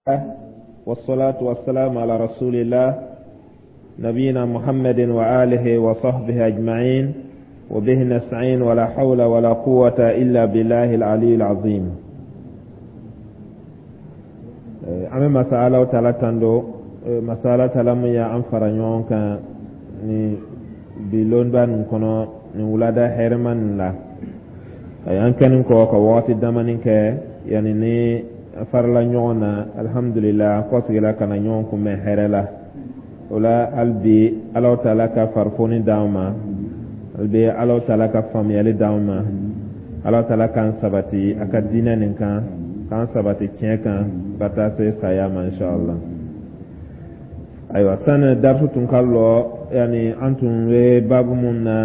والصلاة والسلام على رسول الله نبينا محمد وآله وصحبه أجمعين، وبه نستعين، ولا حول ولا قوة إلا بالله العلي العظيم. An bɛ masa Ala taala tando, masa Ala taala mun y'an fara ɲɔgɔn kan ni bi lonba nin kɔnɔ, nin wulada hɛrɛma nin la. An kɛnin kɔ ka wagati damani kɛ yanni ni farala ɲɔgɔn na, alhamdulillah, an kɔsigila ka na ɲɔgɔn kunbɛn hɛrɛ la. O la, hali bi Ala taala ka farifoni d'an ma, hali bi Ala taala ka faamuyali d'an ma, Ala taala k'an sabati a ka diinɛ nin kan, k'an sabati tiɲɛ kan ka taa se saya ma, inshallah. Ayiwa, sani darisu tun ka lɔ, yani an tun bɛ baabu mun na,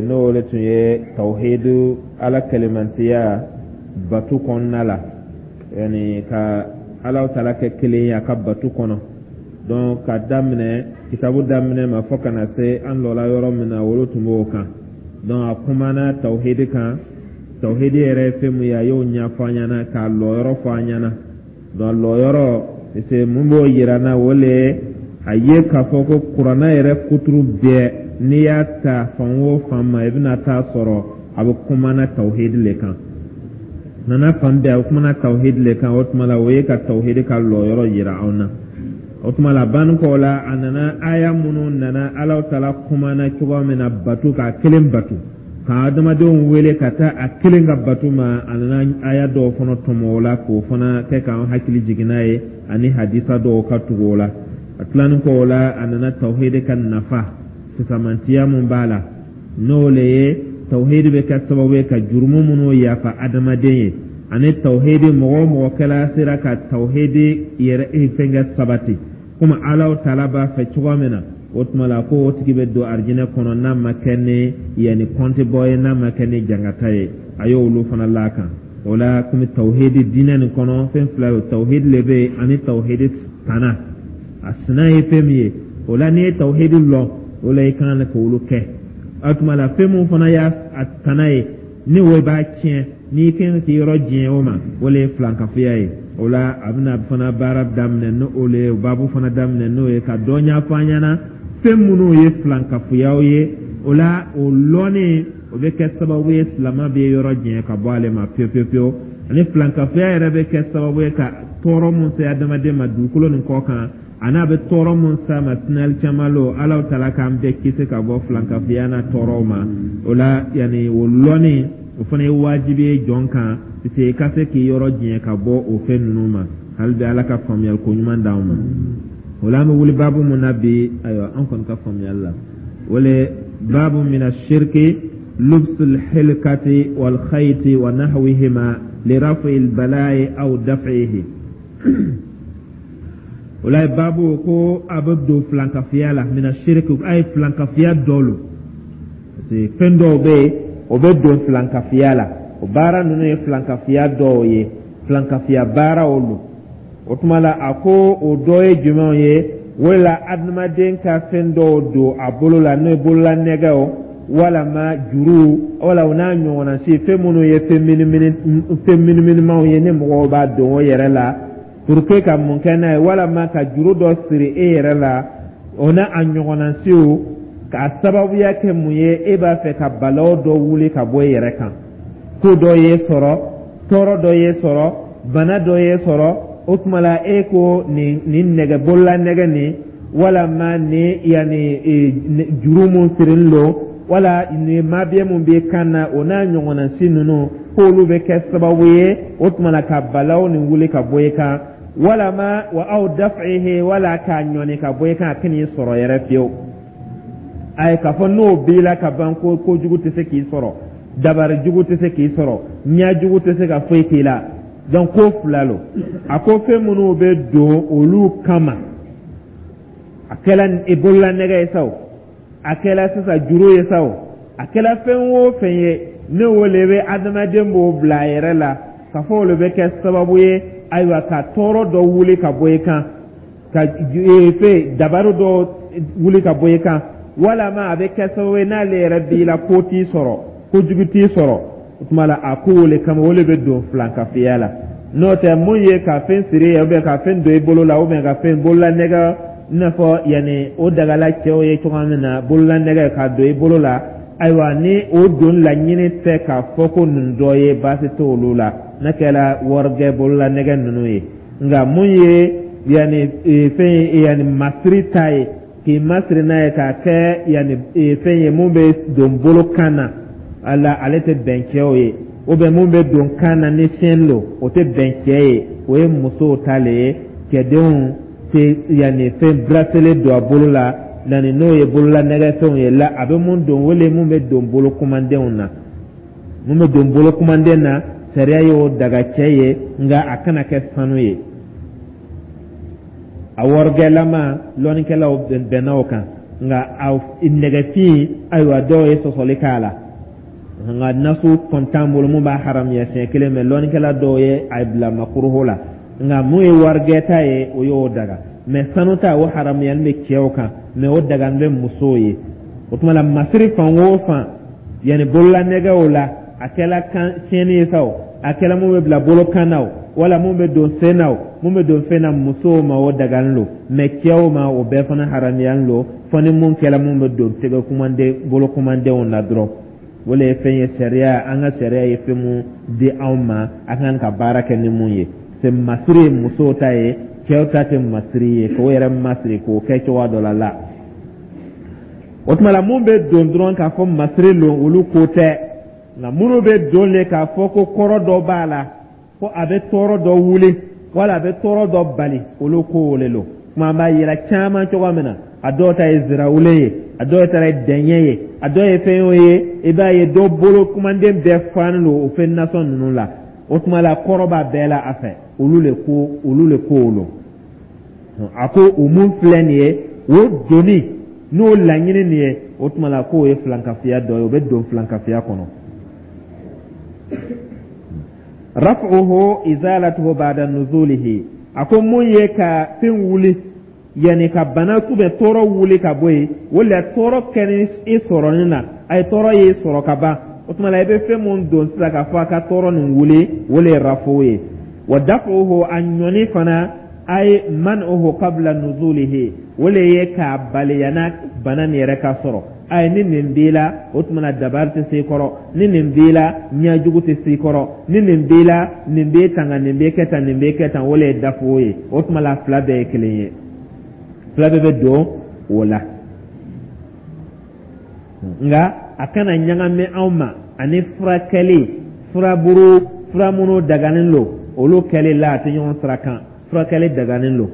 n'o le tun ye tawhidu, Ala kɛlɛmantiya batu kɔnɔna la, yani ka Ala taala kɛ kelen ye a ka batu kɔnɔ. Donc ka daminɛ kitabu daminɛ ma fo ka na se an lɔla yɔrɔ min na, olu tun b'o kan. Donc a kumana tawhidi kan, tawhidi yɛrɛ ye fɛn mun ye, a y'o ɲɛfɔ an ɲɛna k'a lɔyɔrɔ fɔ an ɲɛna. Donc lɔyɔrɔ, parce que mun b'o yira n na, o le ye a ye k'a fɔ ko Kuranna yɛrɛ kuturu bɛɛ, n'i y'a ta fan o fan ma, i bɛna taa sɔrɔ a bɛ kumana tawhidi le kan. Nana fan bɛɛ, a bɛ kumana tawhidi le kan. O tuma la, o ye ka tawhidi ka lɔyɔrɔ yira anw na. O tuma la, banni kɔ la, a nana aya minnu nana, Ala taala kumana cogoya min na batu, k'a kelen batu, ka adamadenw wele ka taa a kelen ka batu ma, a nana aya dɔw fana tɔmɔ o la k'o fana kɛ k'an hakili jigin n'a ye, ani hadisa dɔw ka tugu o la. A tilanin kɔ o la, a nana tawhidi ka nafa fisamantiya mun b'a la, n'o le ye tawhidi bɛ kɛ sababu ye ka jurumu minnu yafa adamaden ye, ani tawhidi, mɔgɔ o mɔgɔ kɛla sera ka tawhidi yɛrɛ fɛnkɛ sabati komi Ala taala b'a fɛ cogoya min na, o tuma la ko o tigi bɛ don arijinɛ kɔnɔ n'a ma kɛ ni yanni kɔnti bɔ ye, n'a ma kɛ ni jangata ye. A y'olu fana l'a kan o la. Komi tawhidi diinɛ nin kɔnɔ, fɛn fila ye, tawhidi le bɛ yen ani tawhidi tana. A sina ye fɛn min ye, o la n'i ye tawhidi lɔn, o la i kan k'olu kɛ. O tuma la, fɛn mun fana y'a tana ye, ni o b'a tiɲɛ, n'i kan k'i yɔrɔ diɲɛ o ma, o le ye filankafoya ye. O la, a bɛna fana baara daminɛ ni o le ye, baabu fana daminɛ n'o ye, ka dɔ ɲɛfɔ an ɲɛna fɛn minnu ye filankafoyaw ye. O la, o lɔnni, o bɛ kɛ sababu ye silama bɛ yɔrɔ jɛn ka bɔ ale ma pewu pewu pewu, ani filankafoya yɛrɛ bɛ kɛ sababu ye ka tɔɔrɔ mun se adamaden ma dugukolo nin kɔ kan, ani a bɛ tɔɔrɔ mun s'a ma sinali caman lo. Ala taala k'an bɛɛ kisi ka bɔ filankafoya n'a tɔɔrɔw ma. O la, yanni o lɔnni, o fana ye wajibi ye jɔn kan, parce que i ka se k'i yɔrɔ jɛn ka bɔ o fɛn ninnu ma. Hali bi, Ala ka faamuyali ko ɲuman d'anw ma. O la, an bɛ wuli baabu mun na bi? Ayiwa, an kɔni ka faamuyali la, o le baabu mina shirki lubsul hilkati wal khayti wa nahwihima li rafi al bala'i aw daf'ihi. O la, baabu ko a bɛ don filankafiya la, mina shirki, a ye filankafiya dɔ lo, parce que fɛn dɔw bɛ yen, o bɛ don filankafiya la. O baara ninnu ye filankafiya dɔw ye, filankafiya baaraw lo. O tuma la, a ko o dɔ ye jumɛnw ye? O la, adamaden ka fɛn dɔw don a bolo la, n'o ye bolola nɛgɛw walama juru wala o n'a ɲɔgɔnna si, fɛn minnu ye fɛn minimini, fɛn miniminimaw ye, ni mɔgɔw b'a don o yɛrɛ la pour que ka mun kɛ n'a ye, walama ka juru dɔ siri e yɛrɛ la, o n'a a ɲɔgɔnna siw, k'a sababuya kɛ mun ye? E b'a fɛ ka balaw dɔ wuli ka bɔ e yɛrɛ kan, ko dɔ ye sɔrɔ, tɔɔrɔ dɔ ye sɔrɔ, bana dɔ ye sɔrɔ. O tuma la, e ko nin nɛgɛ, bolola nɛgɛ nin, walama nin yanni juru mun sirilen don, wala nin mabiɲɛ mun b'i kan na, o n'a ɲɔgɔnna si ninnu, k'olu bɛ kɛ sababu ye, o tuma la, ka balaw nin wuli ka bɔ i kan, walama wa aw daf'ihi, wala k'a ɲɔni ka bɔ i kan, a kan'i sɔrɔ yɛrɛ fiyewu. Ayi, k'a fɔ n'o b'i la ka ban ko kojugu tɛ se k'i sɔrɔ, dabari jugu tɛ se k'i sɔrɔ, ɲɛ jugu tɛ se ka foyi k'i la. Donc ko fila lo. A ko fɛn minnu bɛ don olu kama, a kɛla i bolola nɛgɛ ye sa o, a kɛla sisan juru ye sa o, a kɛla fɛn o fɛn ye, ne o le bɛ adamaden b'o bila a yɛrɛ la k'a fɔ o le bɛ kɛ sababu ye, ayiwa, ka tɔɔrɔ dɔ wuli ka bɔ i kan, ka fɛn dabaru dɔ wuli ka bɔ i kan, walama a bɛ kɛ sababu ye n'ale yɛrɛ b'i la, ko t'i sɔrɔ, kojugu t'i sɔrɔ. O tuma la, a ko o le kama, o le bɛ don filankafiya la. N'o tɛ, mun ye ka fɛn siri ye, ou bien ka fɛn don i bolo la, ou bien ka fɛn bololanɛgɛ, i n'a fɔ yanni o dagala cɛw ye cogoya min na, bololanɛgɛ ka don i bolo la, ayiwa, ni o don laɲini tɛ k'a fɔ ko nin dɔ ye, baasi t'olu la, n'a kɛra warijɛ bololanɛgɛ ninnu ye. Nka mun ye yanni fɛn yanni masiri ta ye, k'i masiri n'a ye k'a kɛ yanni fɛn ye mun bɛ don bolo kan na, ala ale tɛ bɛn cɛw ye, ou bien mun bɛ don kan na ni chaîne lo, o tɛ bɛn cɛ ye, o ye musow ta le ye. Cɛdenw tɛ yanni fɛn bracelet don a bolo la, yanni n'o ye bolola nɛgɛfɛnw ye la. A bɛ mun don, o le mun bɛ don bolo kumandenw na. Mun bɛ don bolo kumanden na, sariya y'o daga cɛ ye, nka a kana kɛ sanu ye. A warijɛlama, lɔnnikɛlaw bɛnna o kan, nka a nɛgɛfin, ayiwa, dɔw ye sɔsɔli k'a la, nka nasu kɔni t'an bolo mun b'a haramuya siɲɛ kelen mɛ. Lɔnnikɛla dɔw ye a bila makuruhu la, nka mun ye warijɛ ta ye, o y'o daga. Mɛ sanu ta, o haramuyali bɛ cɛw kan, mɛ o dagani bɛ musow ye. O tuma la, masiri fan o fan, yanni bololanɛgɛw la, a kɛla kan chaîne ye sa o, a kɛla mun bɛ bila bolo kan na o, wala mun bɛ don sen na o, mun bɛ don fɛn na, musow ma o dagani lo, mɛ cɛw ma o bɛɛ fana haramuyali lo, fɔ ni mun kɛla mun bɛ don tɛgɛ kumanden, bolo kumandenw na dɔrɔn. O le ye fɛn ye, sariya, an ka sariya ye fɛn mun di anw ma, a kan ka baara kɛ ni mun ye. C'est masiri ye musow ta ye, cɛw ta tɛ masiri ye k'o yɛrɛ masiri k'o kɛ cogoya dɔ la la. O tuma la, mun bɛ don dɔrɔn k'a fɔ masiri lo, olu ko tɛ, nka minnu bɛ don le k'a fɔ ko kɔrɔ dɔ b'a la, ko a bɛ tɔɔrɔ dɔ wuli wala a bɛ tɔɔrɔ dɔ bali, olu ko o le lo. Kuma an b'a yira caman cogoya min na, a dɔw ta ye zirawule ye, a dɔw ta ye dɛɲɛ ye, a dɔw ye fɛn o ye, i b'a ye dɔw bolo kumanden bɛɛ fanen don o fɛn nasɔn ninnu la. O tuma la, kɔrɔ b'a bɛɛ la a fɛ, olu le ko o lo. A ko o mun filɛ nin ye, o doni n'o laɲini nin ye, o tuma la k'o ye filankafiya dɔ ye, o bɛ don filankafiya kɔnɔ. Raf'uhu izalatuhu ba'da nuzulihi. A ko mun ye ka fɛn wuli, yanni ka bana ou bien tɔɔrɔ wuli ka bɔ yen, wala tɔɔrɔ kɛni i sɔrɔni na, a ye tɔɔrɔ ye sɔrɔ ka ban, o tuma la i bɛ fɛn mun don sisan k'a fɔ a ka tɔɔrɔ nin wuli, o le ye rafu ye. Wa daf'uhu, a ɲɔni fana, ay man'uhu qabla nuzulihi, o le ye k'a bali yanni bana nin yɛrɛ ka sɔrɔ. Ayi, ni nin b'i la, o tuma na dabari tɛ se i kɔrɔ, ni nin b'i la, ɲɛjugu tɛ se i kɔrɔ, ni nin b'i la, nin b'e tanga, nin b'e kɛ tan, nin b'e kɛ tan, o le ye dafu ye. O tuma la, fila bɛɛ ye kelen ye, fila bɛɛ bɛ don o la, nka a kana ɲagami anw ma ani furakɛli, furaburu, fura minnu daganen don, olu kɛli la, a tɛ ɲɔgɔn sira kan. Furakɛli daganen don,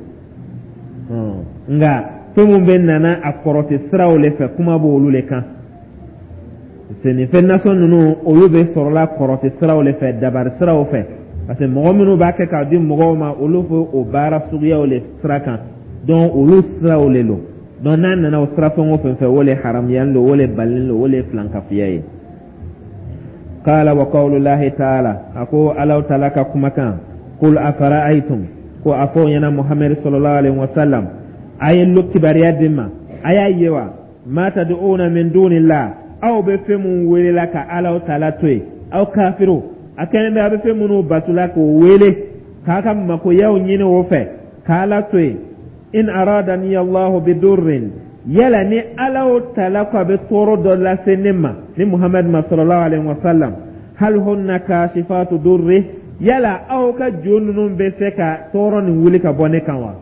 nka fɛn mun bɛ nana a kɔrɔtɛ siraw le fɛ, kuma b'olu le kan. Nin fɛn nasɔn ninnu, olu bɛ sɔrɔla kɔrɔtɛ siraw le fɛ, dabari siraw fɛ, parce que mɔgɔ minnu b'a kɛ k'a di mɔgɔw ma, olu fɛ o baara suguyaw le sira kan. Donc olu siraw le don. Donc n'a nana o sira fɛn o fɛn fɛ, o le haramuyalen don, o le balilen don, o le filankafiya ye. Qala wa qawlullahi ta'ala, a ko Alaw taala ka kumakan, qul afara'aytum, ko a fɔ ɲɛna Muhammad sallallahu alaihi wasallam, a ye lo kibaruya di ma, a y'a ye wa, ma tad'una min dunillah, aw bɛ fɛn mun welela ka Alaw taala to yen, aw kafiriw, a kɛlen bɛ a bɛ fɛn minnu batula k'o wele k'a ka makoyaw ɲini o fɛ k'Ala to yen. In aradani Allahu bidurrin, yala ni Alaw taala ko a bɛ tɔɔrɔ dɔ lase ne ma, ni Muhammad ma sallallahu alaihi wasallam, hal hunna kashifatu durri, yala aw ka jo ninnu bɛ se ka tɔɔrɔ nin wuli ka bɔ ne kan wa?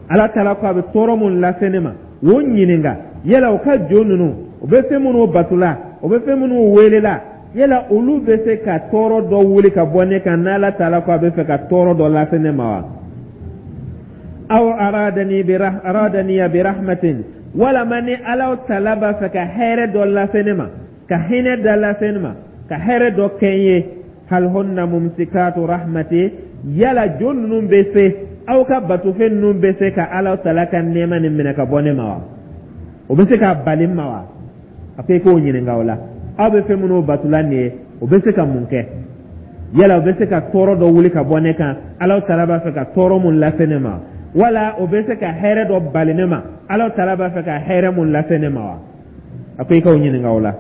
Ala taala ko a bɛ tɔɔrɔ mun lase ne ma, o ɲininka, yala o ka jo ninnu, o bɛ fɛn minnu batula, o bɛ fɛn minnu welela, yala olu bɛ se ka tɔɔrɔ dɔ wuli ka bɔ ne kan n'Ala taala ko a bɛ fɛ ka tɔɔrɔ dɔ lase ne ma wa? Aw aradani bi rahmatin, walama ni Ala taala b'a fɛ ka hɛrɛ dɔ lase ne ma, ka hinɛ dɔ lase ne ma, ka hɛrɛ dɔ kɛ n ye, hal hunna mumsikatu rahmati, yala jo ninnu bɛ se, aw ka batofɛn ninnu bɛ se ka Ala taala ka nɛɛma nin minɛ ka bɔ ne ma wa? O bɛ se k'a bali n ma wa? A ko i k'o ɲininka o la. Aw bɛ fɛn minnu batula nin ye, o bɛ se ka mun kɛ? Yala o bɛ se ka tɔɔrɔ dɔ wuli ka bɔ ne kan, Ala taala b'a fɛ ka tɔɔrɔ mun lase ne ma, wala o bɛ se ka hɛrɛ dɔ bali ne ma, Ala taala b'a fɛ ka hɛrɛ mun lase ne ma wa? A ko i k'o ɲininka o la.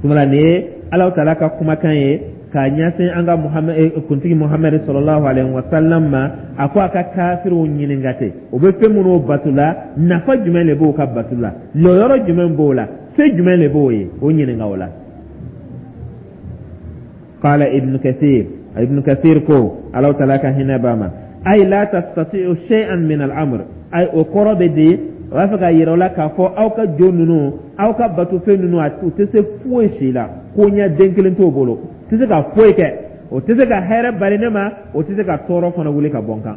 Tuma nin ye Ala taala ka kumakan ye. K'a ɲɛsin an ka kuntigi Muhamadu sallallahu alaihi wa sallam ma, a ko a ka kafiriw ɲininka ten, o bɛ fɛn minnu bato la, nafa jumɛn de b'o ka bato la, lɔyɔrɔ jumɛn b'o la, se jumɛn de b'o ye? O ɲininka o la. Qala Ibn Kathir, Ibn Kathir ko, Ala taala ka hinɛ b'a ma, ay la tastati'u shay'an min al-amr. Ay, o kɔrɔ bɛ di, o b'a fɛ ka yira o la k'a fɔ aw ka jo ninnu, aw ka batofɛn ninnu, u tɛ se foyi si la, ko ɲɛ den kelen t'o bolo, u tɛ se ka foyi kɛ, o tɛ se ka hɛrɛ bali ne ma, o tɛ se ka tɔɔrɔ fana wuli ka bɔ n kan.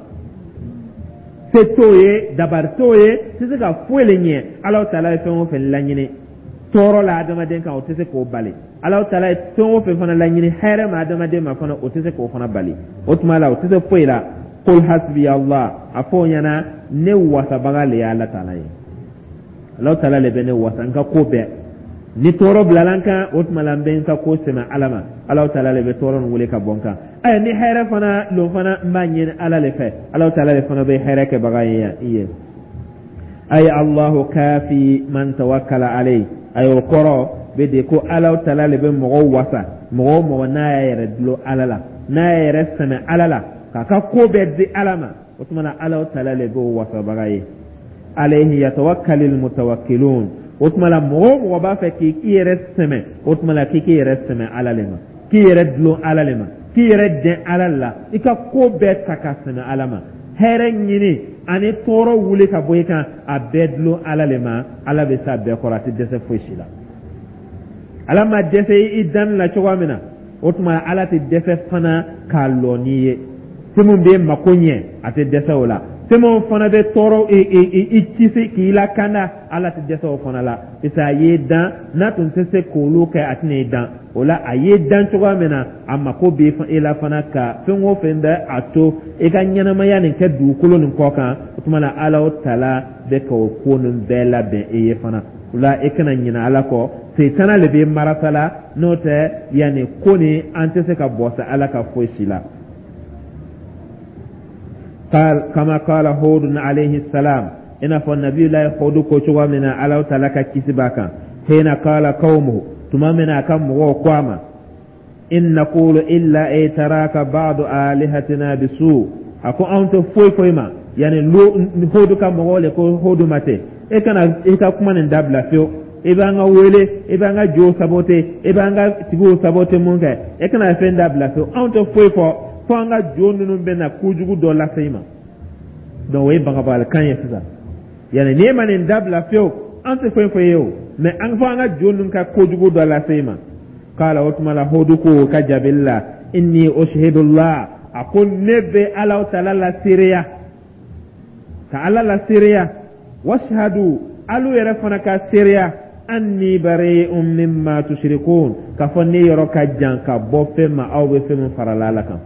Se t'o ye, dabari t'o ye, tɛ se ka foyi le ɲɛ. Ala taala ye fɛn o fɛn laɲini tɔɔrɔ la adamaden kan, o tɛ se k'o bali. Ala taala ye fɛn o fɛn fana laɲini hɛrɛ ma adamaden ma fana, o tɛ se k'o fana bali. O tuma la, o tɛ se foyi la. Qul hasbi Allah, a fɔ o ɲɛna, ne wasabaga le ye Ala taala ye. Ala taala le bɛ ne wasa n ka ko bɛɛ. Ni tɔɔrɔ bilala n kan, o tuma la n bɛ n ka ko sɛmɛ Ala ma. Ala taala le bɛ tɔɔrɔ nin wele ka bɔ n kan. Ɛ, ni hɛrɛ fana lon fana, n b'a ɲini Ala le fɛ. Ala taala le fana bɛ hɛrɛ kɛbaga ye i ye. Ay Allahu kafi man tawakkala alayhi. Ay, o kɔrɔ bɛ de ko Ala taala le bɛ mɔgɔw wasa, mɔgɔ o mɔgɔ n'a y'a yɛrɛ dulon Ala la, n'a y'a yɛrɛ sɛmɛ Ala la, k'a ka ko bɛɛ di Ala ma, o tuma na Ala taala le b'o wasabaga ye. Alayhi yatawakkalul mutawakkilun. O tuma la, mɔgɔ o mɔgɔ b'a fɛ k'i yɛrɛ sɛmɛ, o tuma la k'i yɛrɛ sɛmɛ Ala le ma, k'i yɛrɛ dulon Ala le ma, k'i yɛrɛ dɛn Ala la, i ka ko bɛɛ ta ka sɛmɛ Ala ma, hɛrɛ ɲini ani tɔɔrɔ wuli ka bɔ i kan, a bɛɛ dulon Ala le ma. Ala bɛ s'a bɛɛ kɔrɔ, a tɛ dɛsɛ foyi si la. Ala ma dɛsɛ i danni la cogoya min na, o tuma Ala tɛ dɛsɛ fana k'a lɔ n'i ye. Fɛn min bɛ mako ɲɛ, a tɛ dɛsɛ o la. Fɛn min fana bɛ tɔɔrɔ i kisi k'i lakanda, Ala tɛ dɛsɛ o fana la, parce que a y'i dan. N'a tun tɛ se k'olu kɛ, a tɛna i dan o la. A y'i dan cogoya min na, a mako bɛ e la fana ka fɛn o fɛn bɛ a to i ka ɲɛnamaya nin kɛ dugukolo nin kɔ kan, o tuma na Ala o taala bɛ ka o ko nin bɛɛ labɛn e ye fana. O la, e kana ɲinɛ Ala kɔ. Setana le bɛ marasa la, n'o tɛ yanni ko nin, an tɛ se ka bɔ sa Ala ka foyi si la. قال كما قال هود عليه السلام إن النبي الله هود كوچوا من الله تعالى كيسي باكا حين قال قومه tuma min a ka mɔgɔw ko a ma in naqulu illa i'taraka ba'du alihatina bisu, a ko anw tɛ foyi foyi ma. Yani Hodu ka mɔgɔw le ko Hodu ma ten, e kana i ka kuma nin dabila fiyewu, i b'an ka wele, i b'an ka jow sabote, i b'an ka tigiw sabote, mun kɛ? E kana fɛn dabila fiyewu. Anw tɛ foyi fɔ fo an ka jo ninnu bɛ na kojugu dɔ lase i ma. Donc o ye bagabagalikan ye sisan. Yani n'i ma nin dabila fiyewu, an tɛ foyi fɔ i ye o, mais an fɔ an ka jo ninnu ka kojugu dɔ lase i ma. Kala, o tuma la Hodu ko ka jaabili la, inni ushhidullah, a ko ne bɛ Ala taala la seereya, ka Ala la seereya, washhadu, alu yɛrɛ fana ka seereya, anni bari'un mimma tushrikun, k'a fɔ ne yɔrɔ ka jan ka bɔ fɛn ma aw bɛ fɛn min farala Ala kan.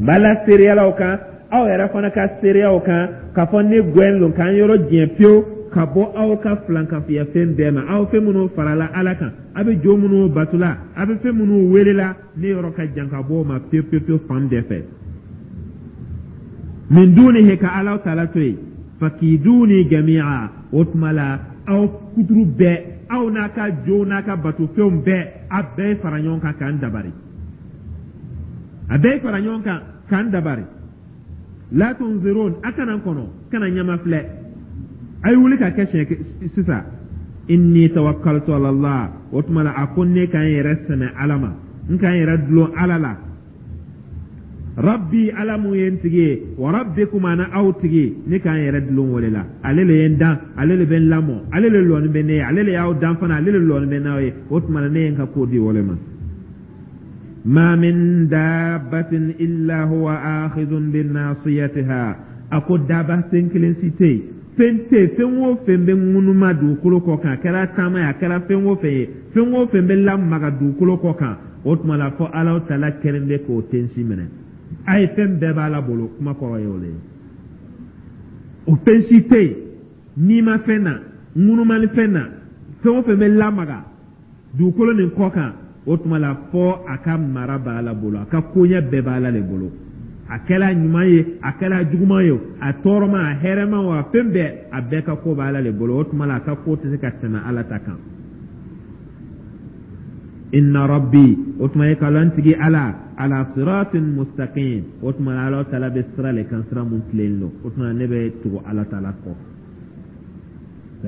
N b'a la seereyala o kan, aw yɛrɛ fana ka seereya o kan, k'a fɔ ne gɛn lon k'an yɔrɔ jɛn pewu ka bɔ aw ka filankafoya fɛn bɛɛ ma, aw fɛn minnu farala Ala kan, a bɛ jo minnu batula, a bɛ fɛn minnu welela, ne yɔrɔ ka jan ka bɔ o ma pewu pewu pewu fan bɛɛ fɛ. Min dunihi, ka Ala taala to yen, fakiduni jami'a, o tuma la aw kuturu bɛɛ, aw n'a ka jow n'a ka batofɛnw bɛɛ, a bɛɛ fara ɲɔgɔn kan k'an dabari, a bɛɛ fara ɲɔgɔn kan k'an dabari. La tunzirun, a kana n kɔnɔ, kana ɲama filɛ, a ye wuli ka kɛ siɲɛ sisan. Inni tawakkaltu ala Allah, o tuma la a ko ne ka n yɛrɛ sɛmɛ Ala ma, n ka n yɛrɛ dulon Ala la. Rabbi, Ala mun ye n tigi ye, wa rabbikum, ana aw tigi, ne ka n yɛrɛ dulon o de la. Ale le ye n dan, ale le bɛ n lamɔ, ale le lɔni bɛ ne ye, ale le y'aw dan fana, ale le lɔni bɛ n'aw ye. O tuma na ne ye n ka ko di o le ma. Ma min dabbatin illa huwa akhidhun bi nasiyatiha, a ko daba sen kelen si tɛ yen, fɛn tɛ yen, fɛn o fɛn bɛ ŋunuma dugukolo kɔ kan, a kɛra taama ye, a kɛra fɛn o fɛn ye, fɛn o fɛn bɛ lamaga dugukolo kɔ kan, o tuma la fɔ Ala taala kɛlen bɛ k'o tensi minɛ. A ye fɛn bɛɛ b'Ala bolo, kuma kɔrɔ ye o de ye. O fɛn si tɛ yen n'i ma fɛn na ŋunumali fɛn na, fɛn o fɛn bɛ lamaga dugukolo nin kɔ kan, o tuma la fɔ a ka mara b'Ala bolo, a ka koɲɛ bɛɛ b'Ala de bolo. A kɛla ɲuman ye, a kɛla juguman ye, a tɔɔrɔma, a hɛrɛma o, a fɛn bɛɛ, a bɛɛ ka ko b'Ala de bolo. O tuma la a ka ko tɛ se ka tɛmɛ Ala ta kan. Inna rabbi, o tuma ye k'a lɔn n tigi Ala, ala siratin mustaqim, o tuma Ala taala bɛ sira le kan, sira mun tilen lo. O tuma ne bɛ tugu Ala taala kɔ,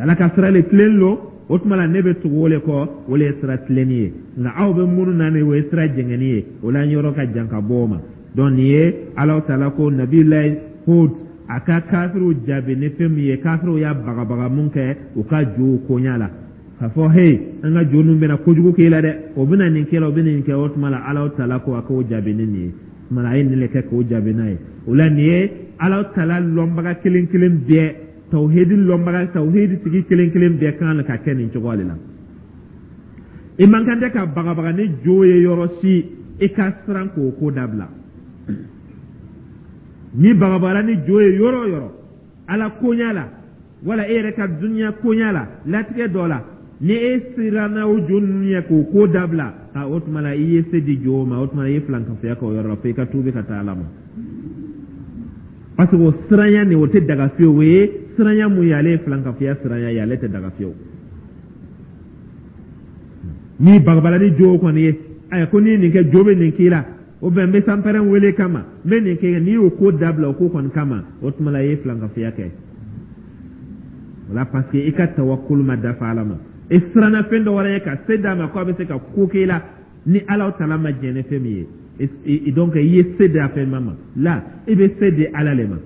Ala ka sira le tilen lo. O tuma la ne bɛ tugu o le kɔ, o le ye sira tilenni ye. Nka aw bɛ minnu na ni o ye sira jɛngɛnni ye, o la n yɔrɔ ka jan ka bɔ o ma. Donc nin ye Ala taala ko Nabilayi Hud a ka kafiriw jaabi ni fɛn min ye. Kafiriw y'a bagabaga mun kɛ u ka jow koɲa la, k'a fɔ: "Hey, an ka jo ninnu bɛna kojugu k'e la dɛ, o bɛna nin kɛ la, o bɛna nin kɛ." O tuma la Ala taala ko a k'o jaabi ni nin ye. O tuma la a ye nin de kɛ k'o jaabi n'a ye. O la nin ye Ala taala lɔnbaga kelen kelen bɛɛ, tawhidi lɔnbaga, tawhidi tigi kelen kelen bɛɛ kan ka kɛ nin cogo de la. I man kan tɛ ka bagabaga ni jo ye yɔrɔ si, i ka siran k'o ko dabila. Ni bagabagara ni jo ye yɔrɔ o yɔrɔ, Ala koɲa la wala e yɛrɛ ka duniya koɲa la, latigɛ dɔ la, ni e siranna o jo ninnu ye k'o ko dabila, a o tuma la i ye se di jo ma. O tuma la i ye filankafoya kɛ o yɔrɔ la, fo i ka tuubi ka taa Ala ma, parce que o siranya nin, o tɛ daga fiyewu. O ye siranya mun ye? Ale ye filankafoya siranya ye, ale tɛ daga fiyewu. Ni bagabala ni jo kɔni ye, ayiwa, ko n'i ye nin kɛ, jo bɛ nin k'i la, o bɛn n bɛ sanpɛrɛn wele kama, n bɛ nin kɛ, n'i y'o ko dabila o ko kɔni kama, o tuma la i ye filankafoya kɛ o la, parce que i ka tawakulu ma dafa Ala ma. I siranna fɛn dɔ wɛrɛ ye ka se d'a ma ko a bɛ se ka ko k'i la ni Ala taala ma jɛn ni fɛn min ye. Donc i ye se di a fɛn ma la, i bɛ se di Ala le ma.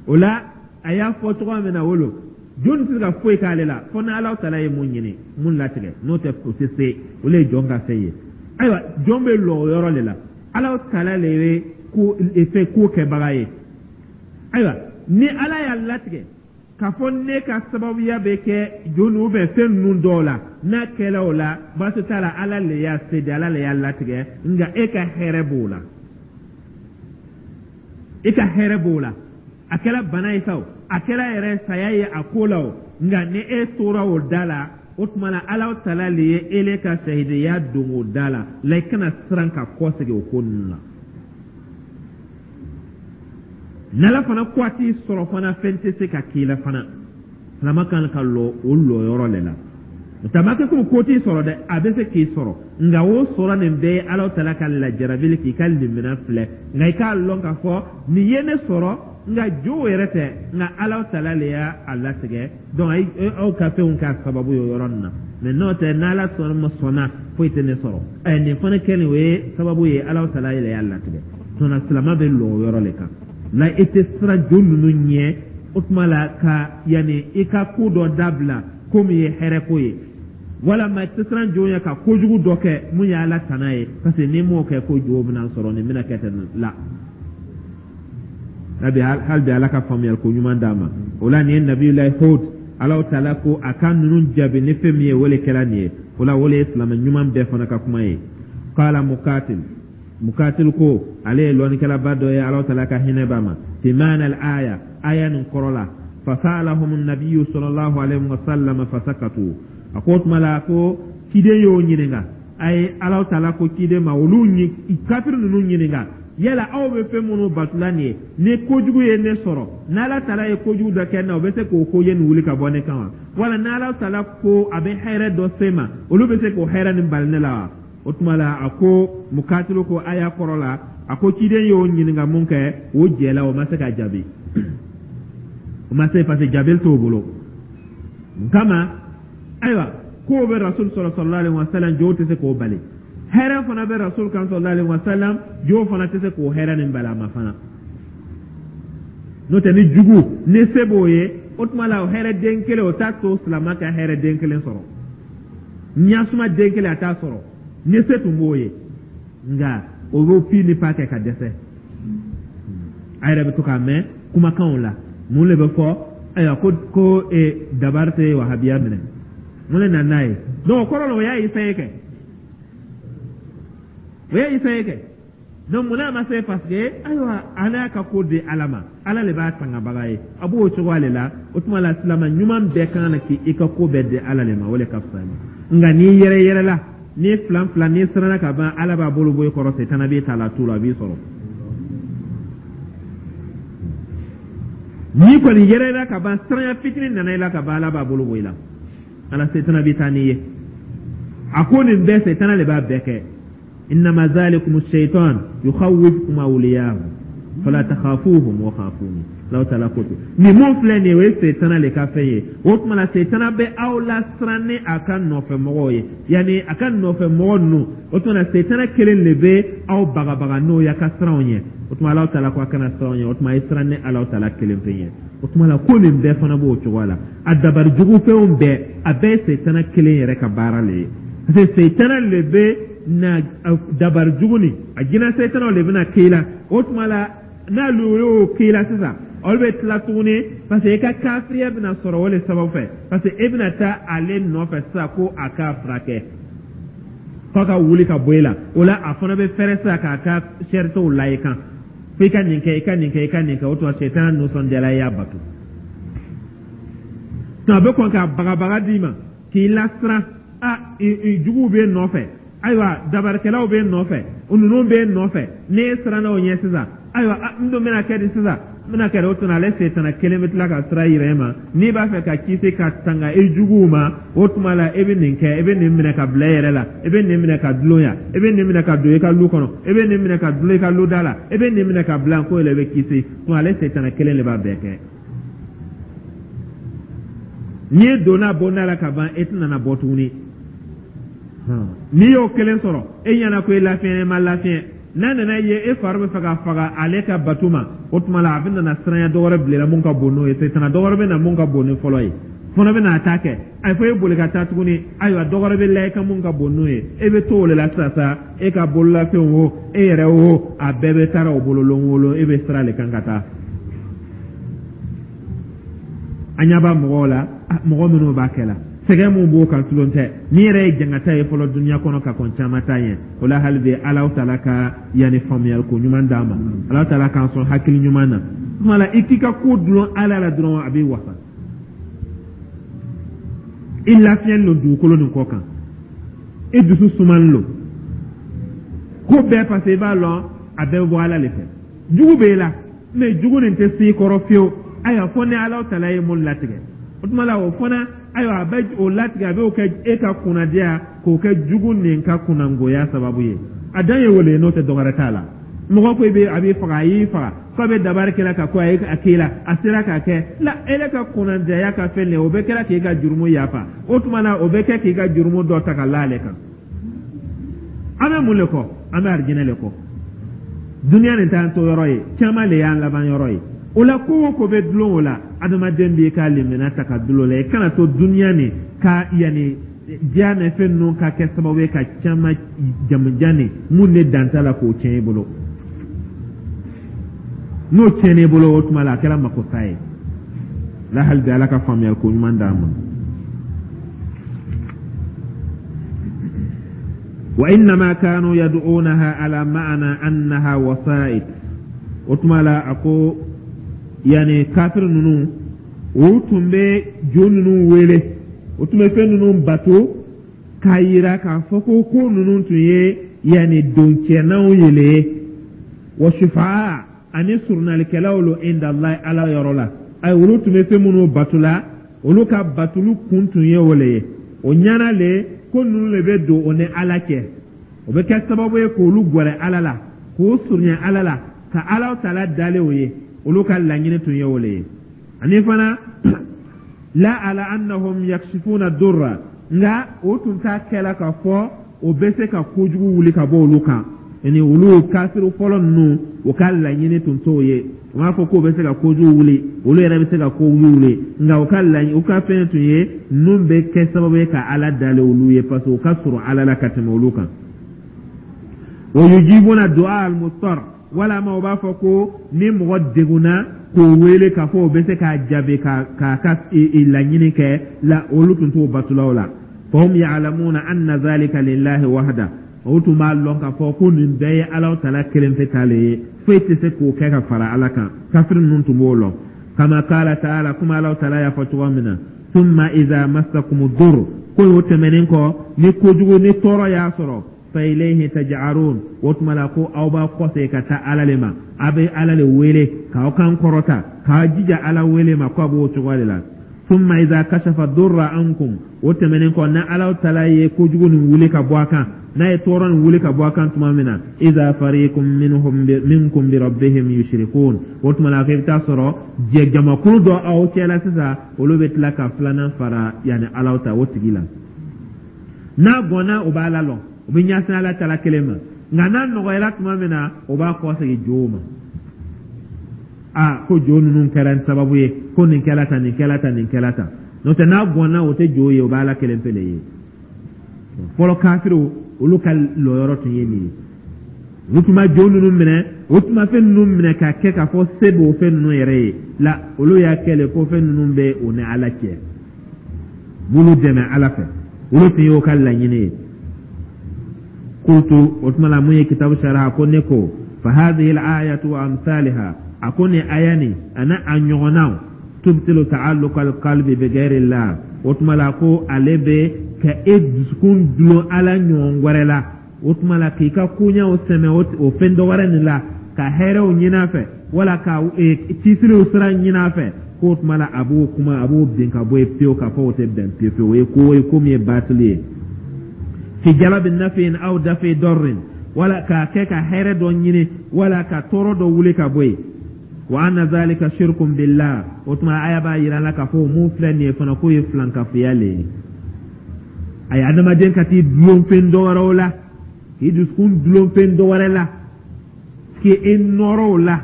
O la a y'a fɔ cogoya min na, o lo jɔn tɛ se ka foyi k'ale la fo ni Ala taala ye mun ɲini, mun latigɛ. N'o tɛ, o tɛ se. O le ye jɔn ka fɛn ye. Ayiwa, jɔn bɛ lɔ o yɔrɔ de la. Ala taala le ye ko fɛn ko kɛbaga ye. Ayiwa, ni Ala y'a latigɛ k'a fɔ ne ka sababuya bɛ kɛ jo ninnu bɛ fɛn ninnu dɔw la, n'a kɛla o la, baasi t'a la. Ala le y'a se di, Ala le y'a latigɛ. Nka e ka hɛrɛ b'o la, e ka hɛrɛ b'o la. A kɛra bana ye sa o, a kɛra yɛrɛ saya ye a ko la o, nka ni e tora o da la, o tuma na Ala taala le ye ele ka sahidiya don o da la la. I kana siran ka kɔsegin o ko ninnu na. N'Ala fana ko a t'i sɔrɔ fana, fɛn tɛ se ka k'i la fana. Silama kan ka lɔ o lɔyɔrɔ le la. O ma kɛ komi ko t'i sɔrɔ dɛ, a bɛ se k'i sɔrɔ, nka o sɔrɔ nin bɛɛ ye Ala taala ka lajarabili k'i ka limina filɛ. Nka i k'a lɔn k'a fɔ nin ye ne sɔrɔ, nka jo yɛrɛ tɛ, nka Ala taala le y'a latigɛ. Donc aw ka fɛnw k'a sababu ye o yɔrɔ nin na. Mais n'o tɛ, n'Ala sɔnna ma sɔnna, foyi tɛ ne sɔrɔ. Ɛ, nin fana kɛlen, o ye sababu ye, Ala taala yɛrɛ y'a latigɛ. Tuma silama bɛ lɔ o yɔrɔ le kan la. I tɛ siran jo ninnu ɲɛ o tuma la ka yanni i ka ko dɔ dabila ko min ye hɛrɛ ko ye, walama i tɛ siran jo ɲɛ ka kojugu dɔ kɛ mun ye Ala tana ye, parce que n'i m'o kɛ, ko jo bɛna sɔrɔ, nin bɛna kɛ ten la. Hali bi Ala ka faamuyali ko ɲuman d'a ma. O la nin ye Nabilayi Hud, Ala taala ko a ka ninnu jaabi ni fɛn min ye, o le kɛra nin ye. O la o le ye silamɛ ɲuman bɛɛ fana ka kuma ye. Qala Mukatil, Mukatil ko, ale ye lɔnnikɛlaba dɔ ye, Ala taala ka hinɛ b'a ma, fi maana al aya, aya nin kɔrɔ la: fasalahum nabiyu sallallahu alaihi wa sallam fasakatu. A ko o tuma la ko ciden y'o ɲininka. A ye Ala taala ko ciden ma olu kafiri ninnu ɲininka: "Yala aw bɛ fɛn minnu batula nin ye, ni kojugu ye ne sɔrɔ, n'Ala taala ye kojugu dɔ kɛ n na, o bɛ se k'o ko ye nin wuli ka bɔ ne kan wa? Wala n'Ala taala ko a bɛ hɛrɛ dɔ se ma, olu bɛ se k'o hɛrɛ nin bali ne la wa?" O tuma la a ko, Mukatilu ko aya kɔrɔ la, a ko ciden y'o ɲininka mun kɛ, o jɛla, o ma se ka jaabi, o ma se, parce que jaabili t'o bolo. Mun kama? Ayiwa, kow bɛ Rasul sɔrɔ sallallahu alaihi wa sallam, jow tɛ se k'o bali. Hɛrɛ fana bɛ Rasul kan sallallahu alaihi wa sallam, jow fana tɛ se k'o hɛrɛ nin bali a ma fana. N'o tɛ, ni jugu ni se b'o ye, o tuma la o hɛrɛ den kelen, o t'a to silama ka hɛrɛ den kelen sɔrɔ, ɲasuma den kelen a t'a sɔrɔ ni se tun b'o ye. Nka o b'o pi ni pa kɛ ka dɛsɛ. A yɛrɛ bɛ to k'a mɛn kumakanw la, mun de bɛ fɔ? Ayiwa, ko dabari tɛ wahabiya minɛ, mun de nana n'a ye? Donc o kɔrɔ la, o y'a essayé kɛ, o y'a essayé kɛ. Donc mun n'a ma se? Parce que ayiwa, an y'a ka ko di Ala ma, Ala de b'a tangabaga ye, a b'o cogoya de la. O tuma la silama ɲuman bɛɛ kan ka k'i ka ko bɛɛ di Ala de ma, o de ka fisa ma. Nka n'i yɛrɛ yɛrɛ la, n'i filan filan, n'i siranna ka ban, Ala b'a bolo bɔ i kɔrɔ, setana b'i ta la tu la, a b'i sɔrɔ. N'i kɔni yɛrɛ yɛrɛ ka ban, siranya fitinin nana i la ka ban, Ala b'a bolo bɔ i la, ala setana bɛ taa n'i ye. A ko nin bɛɛ, setana le b'a bɛɛ kɛ. Innama zalikum shaitan yukhawifukum awliyahu fala takhafuhum wa khafuni. Alahu taala ko ten, nin mun filɛ nin ye, o ye setana le ka fɛn ye. O tuma la, setana bɛ aw lasiran ni a ka nɔfɛmɔgɔw ye, yanni a ka nɔfɛmɔgɔ ninnu. O tuma na, setana kelen de bɛ aw bagabaga n'o ye a ka siran o ɲɛ. O tuma, Alahu taala ko a kana siran o ɲɛ. O tuma, a ye siran ni Alahu taala kelen pe ɲɛ. O tuma la, ko nin bɛɛ fana b'o cogoya la. A dabari jugu fɛnw bɛɛ, a bɛɛ ye setana kelen yɛrɛ ka baara le ye, parce que setana le bɛ na dabari jugu nin, a jinɛ setanaw le bɛna k'i la. O tuma la, n'olu y'o k'i la sisan, olu bɛ tila tuguni, parce que i ka kafiriya bɛna sɔrɔ o le sababu fɛ, parce que e bɛna taa ale nɔfɛ sisan ko a k'a furakɛ, f'a ka wuli ka bɔ e la. O la, a fana bɛ fɛrɛ sisan k'a ka sɛritew la i kan, fo i ka nin kɛ, i ka nin kɛ, i ka nin kɛ. O tuma, sɛtana nisɔndiyala, i y'a bato. A bɛ kɔn ka bagabaga d'i ma k'i lasiran. A juguw b'e nɔfɛ, ayiwa, dabarikɛlaw b'e nɔfɛ, ninnu b'e nɔfɛ. N'e siranna o ɲɛ sisan, ayiwa, n dun bɛna kɛ di sisan? N bɛna kɛ di? O tuma, ale setana kelen bɛ tila ka sira yira e ma. N'i b'a fɛ ka kisi ka tanga i juguw ma, o tuma la, e bɛ nin kɛ, e bɛ nin minɛ ka bila e yɛrɛ la, e bɛ nin minɛ ka dulon yan, e bɛ nin minɛ ka don i ka lu kɔnɔ, e bɛ nin minɛ ka dulon i ka lu da la, e bɛ nin minɛ ka bila ko yɛrɛ, i bɛ kisi. Tuma, ale setana kelen de b'a bɛɛ kɛ. N'i donna bonda la ka ban, e tɛna na bɔ tuguni. N'i y'o kelen sɔrɔ, e ɲɛna ko e lafiɲɛ, ma lafiɲɛ. N'a nana ye e fari bɛ fɛ ka faga ale ka bato ma, o tuma la, a bɛ nana siranya dɔ wɛrɛ bila mun ka bon n'o ye. Setana dɔ wɛrɛ bɛ na mun ka bon ni fɔlɔ ye, fana bɛ n'a ta kɛ. A fɔ e boli ka taa tuguni, ayiwa, dɔ wɛrɛ bɛ la i ka mun ka bon n'o ye. E bɛ to o de la sisan sa. E ka bololafɛnw o, e yɛrɛ o, a bɛɛ bɛ taara o bolo lon o lon. E bɛ sira de kan ka taa. An ɲɛ b'a mɔgɔw la, mɔgɔ minnu b'a kɛ la, sɛgɛn mun b'o kan, tulon tɛ. N'i yɛrɛ ye jangata ye fɔlɔ dunuya kɔnɔ ka kɔn caman ta ɲɛ. O la, hali bi, Alahu taala ka yanni faamuyali ko ɲuman d'an ma. Alahu taala k'an sɔn hakili ɲuman na. Tuma la, i k'i ka ko dulon Ala la dɔrɔn, a b'i wasa. I lafiyalen don dugukolo nin kɔ kan, i dusu sumalen don ko bɛɛ, parce que i b'a lɔn a bɛɛ bɛ bɔ Ala de fɛ. Jugu b'e la, mais jugu nin tɛ s'i kɔrɔ fiyewu, ayiwa, fo ni Ala taala ye mun latigɛ. O tuma la, o fana, ayiwa, a bɛ o latigɛ, a b'o kɛ e ka kunnadiya, k'o kɛ jugu nin ka kunnangoya sababu ye. A dan ye wele, n'o tɛ dɔwɛrɛ t'a la. Mɔgɔ ko i bɛ a b'i faga, a y'i faga, k'a bɛ dabari kɛla ka ko a ye a k'i la, a sera k'a kɛ la, ele ka kunnadiyaya ka fɛn de, o bɛ kɛra k'i ka jurumu yafa. O tuma na, o bɛ kɛ k'i ka jurumu dɔ ta ka la ale kan. An bɛ mun le kɔ? An bɛ arijinɛ le kɔ. Duniya nin t'an to yɔrɔ ye, caman le y'an laban yɔrɔ ye. O la, ko o ko bɛ dulon o la, adamaden b'i ka limaniya ta ka dulon o la. I kana to duniya nin ka yanni diya ni fɛn ninnu ka kɛ sababu ye ka caman jamujan nin mun de dan t'a la k'o tiɲɛ i bolo. N'o tiɲɛn'i bolo, o tuma la, a kɛra makosa ye la. Hali bi, Ala ka faamuyali ko ɲuman d'an ma. Wa innama kanu yad'unaha ala ma'ana annaha wasa'id. O tuma la, a ko yani kafir ninnu, u tun bɛ jo ninnu wele, u tun bɛ fɛn ninnu bato k'a yira k'a fɔ ko ninnu tun ye yani doncɛnaw yele ye, wa shufa'a, ani surunalikɛlaw lo, inda Allah, Ala yɔrɔ la. Ayi, olu tun bɛ fɛn minnu bato la, olu ka batolu kun tun ye o le ye. O ɲɛna le ko ninnu le bɛ don o ni Ala cɛ, o bɛ kɛ sababu ye k'olu gɛrɛ Ala la, k'o surunya Ala la, ka Ala taala dalen o ye. Olu ka laɲini tun ye o le ye. Ani fana, la ala annahum yakshifuna durra, nka o tun t'a kɛla k'a fɔ o bɛ se ka kojugu wuli ka bɔ olu kan. Ni olu kafiri fɔlɔ ninnu, o ka laɲini tun t'o ye. U m'a fɔ k'o bɛ se ka kojugu wuli, olu yɛrɛ bɛ se ka kojugu wuli, nka u ka laɲini, u ka fɛn tun ye ninnu bɛ kɛ sababu ye ka Ala dalen olu ye, parce que u ka surun Ala la ka tɛmɛ olu kan. Wa yujibuna du'a al-muttar, walama u b'a fɔ ko ni mɔgɔ degunna k'o wele k'a fɔ o bɛ se k'a jaabi k'a ka laɲini kɛ la, olu tun t'o batulaw la. Fahum ya'lamuna anna zalika lillahi wahda, o tun b'a lɔn k'a fɔ ko nin bɛɛ ye Ala taala kelen pe ta le ye, foyi tɛ se k'o kɛ ka fara Ala kan. Kafiri ninnu tun b'o lɔn. Kama qala ta'ala, kuma Ala taala y'a fɔ cogo min na, thumma idha massakum dur, ko o tɛmɛnen kɔ, ni kojugu ni tɔɔrɔ y'a sɔrɔ, fa ilayhi taj'arun, o tuma la ko aw b'a kɔsegin ka taa Ala le ma, a bɛ Ala le wele k'aw kan kɔrɔta, k'aw jija Ala wele ma, ko a b'o cogo de la. Thumma idha kashafa durra ankum. O tɛmɛnen kɔ, na Ala taala ye kojugu nin wuli ka bɔ a kan, n'a ye tɔɔrɔ nin wuli ka bɔ a kan tuma min na, iza fariqun minhum minkum bi rabbihim yushrikun, o tuma la, i bɛ taa sɔrɔ jɛ jamakulu dɔ aw cɛla sisan, olu bɛ tila ka filanan fara yanni Ala ta o tigi la. N'a gɔnna, o b'a la lɔn, o bɛ ɲɛsin Ala taala kelen ma, nka n'a nɔgɔyara tuma min na, o b'a kɔsegin jow ma. A ko jo ninnu kɛra sababu ye ko nin kɛla tan, nin kɛla tan, nin kɛla tan. N'o tɛ, n'a gɔnna, o tɛ jo ye, o bɛ Ala kelen pe le ye. Fɔlɔ kafiriw, olu ka lɔyɔrɔ tun ye nin ye. Olu tun ma jo ninnu minɛ, o tun ma fɛn ninnu minɛ k'a kɛ k'a fɔ se b'o fɛn ninnu yɛrɛ ye la. Olu y'a kɛ le ko fɛn ninnu bɛ o ni Ala cɛ, b'olu dɛmɛ Ala fɛ. Olu tun y'o ka laɲini ye. Qultu, o tuma la, mun ye kitabu sariya ko, ne ko: fa hadhihi al-ayatu wa amsalha, a ko nin aya nin ani a ɲɔgɔnnaw, tubtilu ta'alluqa al-qalbi bi ghayri Allah. O tuma la, ko ale bɛ ka e dusukun dulon Ala ɲɔgɔn wɛrɛ la. O tuma la, k'i ka koɲɛw sɛmɛ o fɛn dɔ wɛrɛ nin la, ka hɛrɛw ɲini a fɛ, wala ka kisiliw sira ɲini a fɛ, k'o tuma la, a b'o kuma, a b'o bin ka bɔ yen pewu, k'a fɔ o tɛ bɛn pewu pewu. O ye ko ye, ko min ye batili ye. Fi jalabi nafin aw dafi dɔrrin, wala k'a kɛ ka hɛrɛ dɔ ɲini, wala ka tɔɔrɔ dɔ wuli ka bɔ yen. Wa anna zalika shirkun billah. O tuma, aya b'a yira la k'a fɔ mun filɛ nin ye fana, k'o ye filankafoya le ye. A ye adamaden ka t'i dulon fɛn dɔ wɛrɛw la, k'i dusukun dulon fɛn dɔ wɛrɛ la, k'i nɔrɔ o la,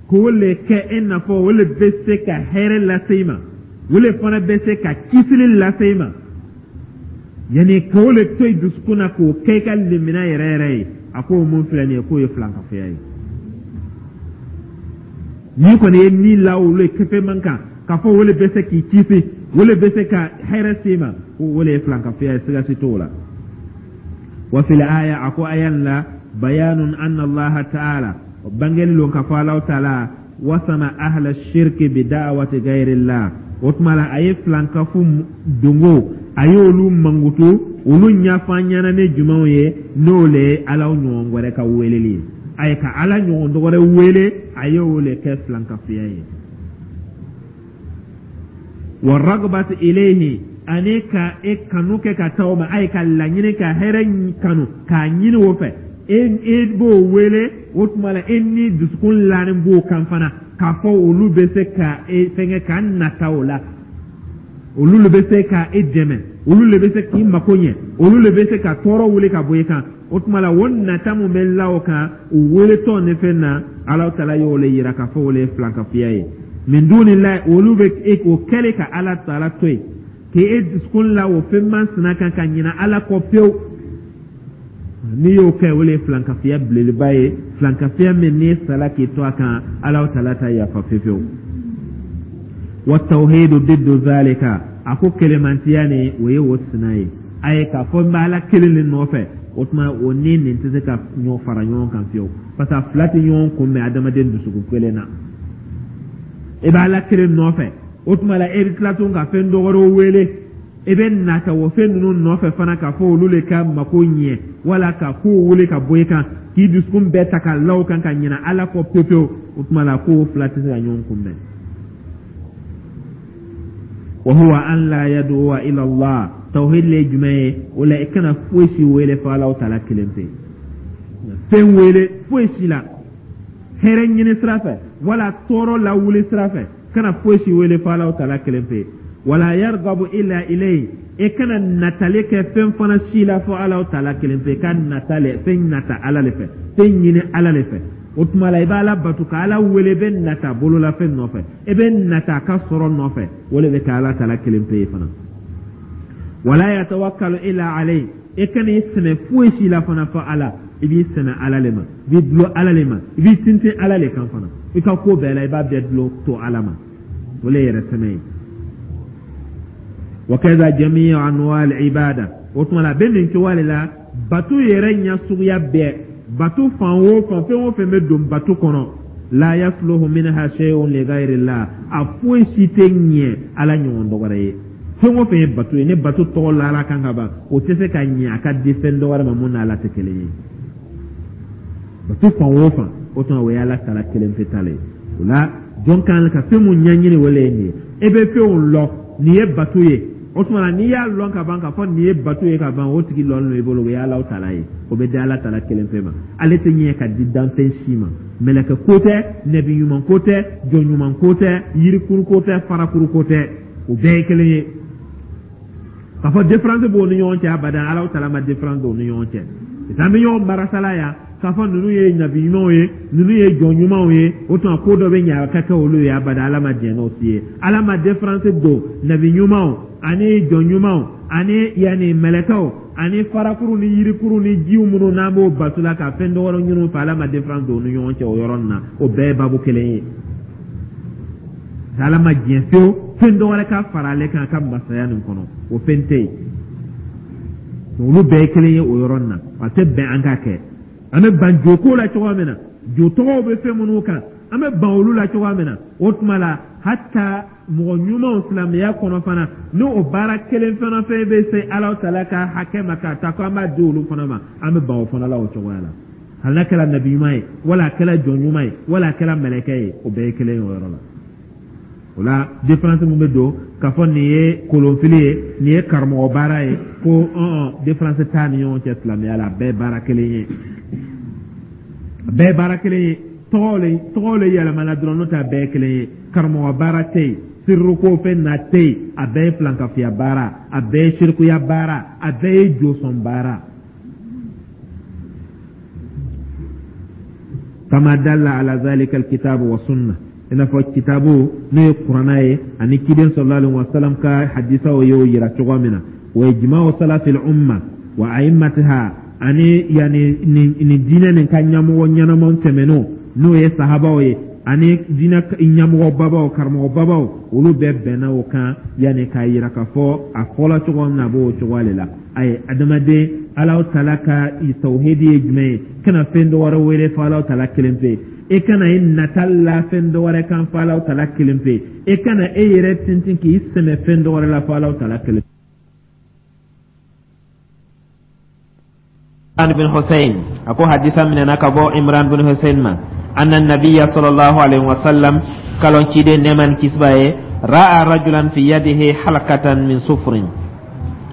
k'o le kɛ e n'a fɔ o le bɛ se ka hɛrɛ lase i ma, o le fana bɛ se ka kisili lase i ma, yanni k'o le to i dusukun na, k'o kɛ i ka limina yɛrɛ yɛrɛ ye. A k'o mun filɛ nin ye, k'o ye filankafoya ye. N'i kɔni ye ni la olu ye kefe man kan k'a fɔ o le bɛ se k'i kisi, o le bɛ se ka hɛrɛ se i ma, ko o le ye filankafoya ye, siga si t'o la. Wa fil aya, a ko aya la, bayanun anna Allaha ta'ala, bangeli lon ka fɔ Alahu taala wasama ahla shirki bi da'wati ghayrillah. O tuma la, a ye filankafu dongo, a ye olu mankutu, olu ɲɛfɔ an ɲɛna ni jumɛnw ye, n'o le ye Ala ɲɔgɔn wɛrɛ ka weleli ye. A ye ka Ala ɲɔgɔn dɔ wɛrɛ wele, a ye o le kɛ filankafuya ye. Wa ragbati ilayhi, ani ka e kanu kɛ ka taa o ma, a ye ka laɲini ka hɛrɛ kanu k'a ɲini o fɛ, e b'o wele. O tuma la, e ni dusukun lanin b'o kan fana k'a fɔ olu bɛ se ka e fɛnkɛ ka nata o la, olu le bɛ se ka e dɛmɛ, olu le bɛ se k'i mako ɲɛ, olu le bɛ se ka tɔɔrɔ wuli ka bɔ i kan. O tuma la, o nata mun bɛ la o kan, o weletɔ ni fɛn na, Ala taala y'o le yira k'a fɔ o le ye filankafoya ye. Min dunillahi, olu bɛ e o kɛlen ka Ala taala to yen, k'e dusukun la o fɛn masina kan ka ɲina Ala kɔ pewu, n'i y'o kɛ, o le ye filankafoya belebeleba ye, filankafoya min n'i sala k'i to a kan, Ala taala ta yafa fiyewu. Wa tawhidu diddu zalika, a ko kelemantiya ni o ye o sina ye. A ye k'a fɔ n bɛ Ala kelen de nɔfɛ, o tuma o ni nin tɛ se ka ɲɔgɔn fara ɲɔgɔn kan fiyewu, parce que a fila tɛ ɲɔgɔn kunbɛn adamaden dusukun kelen na. E bɛ Ala kelen nɔfɛ, o tuma la, e bɛ tila tun ka fɛn dɔ wɛrɛw wele, e bɛ nata o fɛn ninnu nɔfɛ fana k'a fɔ olu le ka mako ɲɛ, wala ka kow wele ka bɔ i kan, k'i dusukun bɛɛ ta ka la o kan ka ɲinɛ Ala kɔ pewu pewu. O tuma la, k'o fila tɛ se ka ɲɔgɔn kunbɛn. Wa huwa an la yad'uwa ila Allah, tawhid le jumɛn ye? O la, i kana foyi si wele fo Ala taala kelen pe. Fɛn wele foyi si la hɛrɛ ɲini sira fɛ, wala tɔɔrɔ lawuli sira fɛ, kana foyi si wele fo Ala taala kelen pe. Wala yargabu illa ilayhi, e kana natali kɛ fɛn fana si la fo Ala taala kelen pe. Ka nata le, fɛn nata Ala le fɛ, fɛn ɲini Ala le fɛ. O tuma la, i bɛ Ala bato ka Ala wele, i bɛ nata bololafɛn nɔfɛ, i bɛ nata a ka sɔrɔ nɔfɛ, o le bɛ kɛ Ala taala kelen pe ye fana. Wala yatawakkalu illa alayhi, e kana i sɛmɛ foyi si la fana fo Ala. I b'i sɛmɛ Ala le ma, i b'i dulon Ala le ma, i b'i tintin Ala le kan fana. I ka ko bɛɛ la, i b'a bɛɛ dulon to Ala ma, o le yɛrɛ sɛmɛ ye. Wa kaza jami'u anwa al-ibada, o tuma la, a bɛ nin cogoya de la bato yɛrɛ ɲɛ suguya bɛɛ, bato fan o fan, fɛn o fɛn bɛ don bato kɔnɔ, la yasluhu minha shay'un li ghayri Allah, a foyi si tɛ ɲɛ Ala ɲɔgɔn dɔ wɛrɛ ye. Fɛn o fɛn ye bato ye, ni bato tɔgɔ la Ala kan ka ban, o tɛ se ka ɲɛ a ka di fɛn dɔ wɛrɛ ma mun n'Ala tɛ kelen ye. Bato fan o fan, o tuma o ye Ala taala kelen pe ta le ye. O la, jɔn kan ka fɛn mun ɲɛɲini, o le ye nin ye. E bɛ fɛnw lɔ, nin ye bato ye. O tuma na, n'i y'a lɔn ka ban k'a fɔ nin ye bato ye ka ban, o tigi lɔnnen don i bolo, o ye Alahu taala ye. O bɛ di Ala taala kelen pe ma. Ale tɛ ɲɛ ka di danfɛn si ma. Mɛlɛkɛ ko tɛ, nɛbi ɲuman ko tɛ, jɔn ɲuman ko tɛ, yirikuru ko tɛ, farakuru ko tɛ, o bɛɛ ye kelen ye. K'a fɔ différence b'o ni ɲɔgɔn cɛ, abadan, Alahu taala ma différence don u ni ɲɔgɔn cɛ. An bɛ ɲɔgɔn barasala yan k'a fɔ ninnu ye nabi ɲumanw ye, ninnu ye jɔn ɲumanw ye, o tuma ko dɔ bɛ ɲɛ a ka kɛ olu ye. Abada, Ala ma diɲɛ n'o si ye. Ala ma différence don nabi ɲumanw ani jɔn ɲumanw ani yanni mɛlɛkɛw ani farakuru ni yirikuru ni jiw minnu n'an b'o bato la ka fɛn dɔ wɛrɛ ɲini u fɛ. Ala ma différence don u ni ɲɔgɔn cɛ o yɔrɔ nin na. O bɛɛ ye babu kelen ye. Ala ma diɲɛ fiyewu fɛn dɔ wɛrɛ ka fara ale kan a ka masaya nin kɔnɔ, o fɛn tɛ yen. Olu bɛɛ ye kelen ye o yɔrɔ nin na. A tɛ bɛn an ka kɛ. An bɛ ban joko la cogoya min na, jo tɔgɔw bɛ fɛn minnu kan, an bɛ ban olu la cogoya min na, o tuma la hata mɔgɔ ɲumanw silamɛya kɔnɔ fana, ni o baara kelen fana fɛn bɛ se Ala taala ka hakɛ ma k'a ta ko an b'a di olu fana ma, an bɛ ban o fana la o cogoya la. Hali n'a kɛra nabi ɲuman ye, wala a kɛra jɔn ɲuman ye, wala a kɛra mɛlɛkɛ ye, o bɛɛ ye kelen ye o yɔrɔ la. O la, différence min bɛ don k'a fɔ nin ye kolonfili ye, nin ye karamɔgɔ baara ye, ko ɔn différence t'a ni ɲɔgɔn cɛ silamɛya la. A bɛɛ ye baara kelen ye, a bɛɛ ye baara kelen ye. Tɔgɔw le yɛlɛmana dɔrɔn, n'o tɛ a bɛɛ ye kelen ye. Karamɔgɔ baara tɛ yen, siriko fɛn na tɛ yen. A bɛɛ ye filankafoya baara, a bɛɛ ye sirikuya baara, a bɛɛ ye josɔn baara. Kama dalla ala zalika alkitabu wa sunna, i n'a fɔ kitabu n'o ye Kuranna ye ani ciden sallallahu alaihi wasallam ka hadisaw y'o yira cogo min na, wa ijma'u salafil umma wa a'immatiha, ani yani nin diinɛ nin ka ɲɛmɔgɔ ɲɛnamaw tɛmɛnenw, n'o ye sahabaw ye, ani diinɛ ɲɛmɔgɔ babaw, karamɔgɔ babaw, olu bɛɛ bɛnna o kan, yani k'a yira k'a fɔ a fɔla cogo min na, a b'o cogoya de la. Ayi, adamaden, Alahu taala ka tawhidi ye jumɛn ye? Kana fɛn dɔ wɛrɛ wele fo Alahu taala kelen pe. E kana i nata la fɛn dɔ wɛrɛ kan fo Alahu taala kelen pe. E kana e yɛrɛ tintin k'i sɛmɛ fɛn dɔ wɛrɛ la fo Alahu taala kelen. Imran bin Hussein a ko hadisa minɛna ka bɔ Imran bin Hussein ma, anna nabiyya sallallahu alaihi wasallam, kalon ciden nɛɛma ni kisi b'a ye, ra'a rajulan fi yadihi halakatan min sufrin,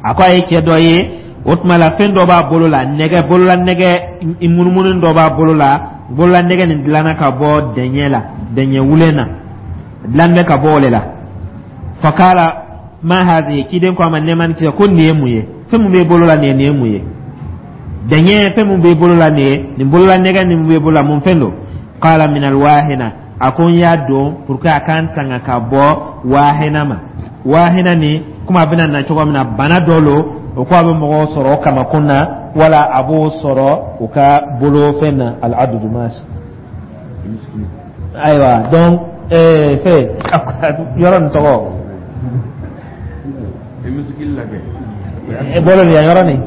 a ko a ye cɛ dɔ ye, o tuma la fɛn dɔ b'a bolo la, nɛgɛ, bolola nɛgɛ munumunu dɔ b'a bolo la. Bolola nɛgɛ nin dilanna ka bɔ dɛɲɛ la, dɛɲɛ wulen na, dilan bɛ ka bɔ o de la. Fakala ma hadhihi, ciden ko a ma nɛɛma ni kisi, ko nin ye mun ye? Fɛn mun b'e bolo la nin ye, nin ye mun ye? Dɛɲɛ fɛn mun b'e bolo la nin ye, nin bolola nɛgɛ nin b'e bolo la, mun fɛn don? Qala min alwahina, a ko n y'a don pour que a k'an tanga ka bɔ wahina ma. Wahina ni komi a bɛna na cogo min na, bana dɔ lo, o ko a bɛ mɔgɔw sɔrɔ o kamakun na, wala a b'o sɔrɔ u ka bolofɛn na, al-adudu maasi. Ayiwa, donc fɛn yɔrɔ nin tɔgɔ bolo nin yan yɔrɔ nin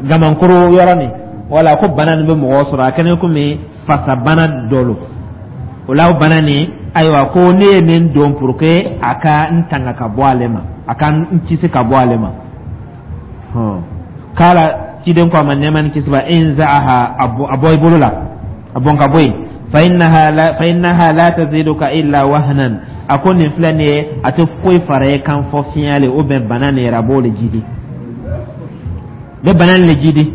gamankuru yɔrɔ nin, wala ko bana nin bɛ mɔgɔw sɔrɔ, a kɛlen komi fasabana dɔ lo. O la, o bana nin, ayiwa, ko ne ye nin don pour que a ka n tanga ka bɔ ale ma, a ka n kisi ka bɔ ale ma. Kala, ciden ko a ma nɛɛma ni kisi b'a, inza'aha, a bɔ i bolo la, a bɔn ka bɔ yen. Fa innaha la, fa innaha la taziduka illa wahnan, a ko nin filɛ nin ye, a tɛ foyi fara e kan fɔ fiɲɛ le, o bɛn bana nin yɛrɛ, a b'o le jidi, bɛ bana nin le jidi,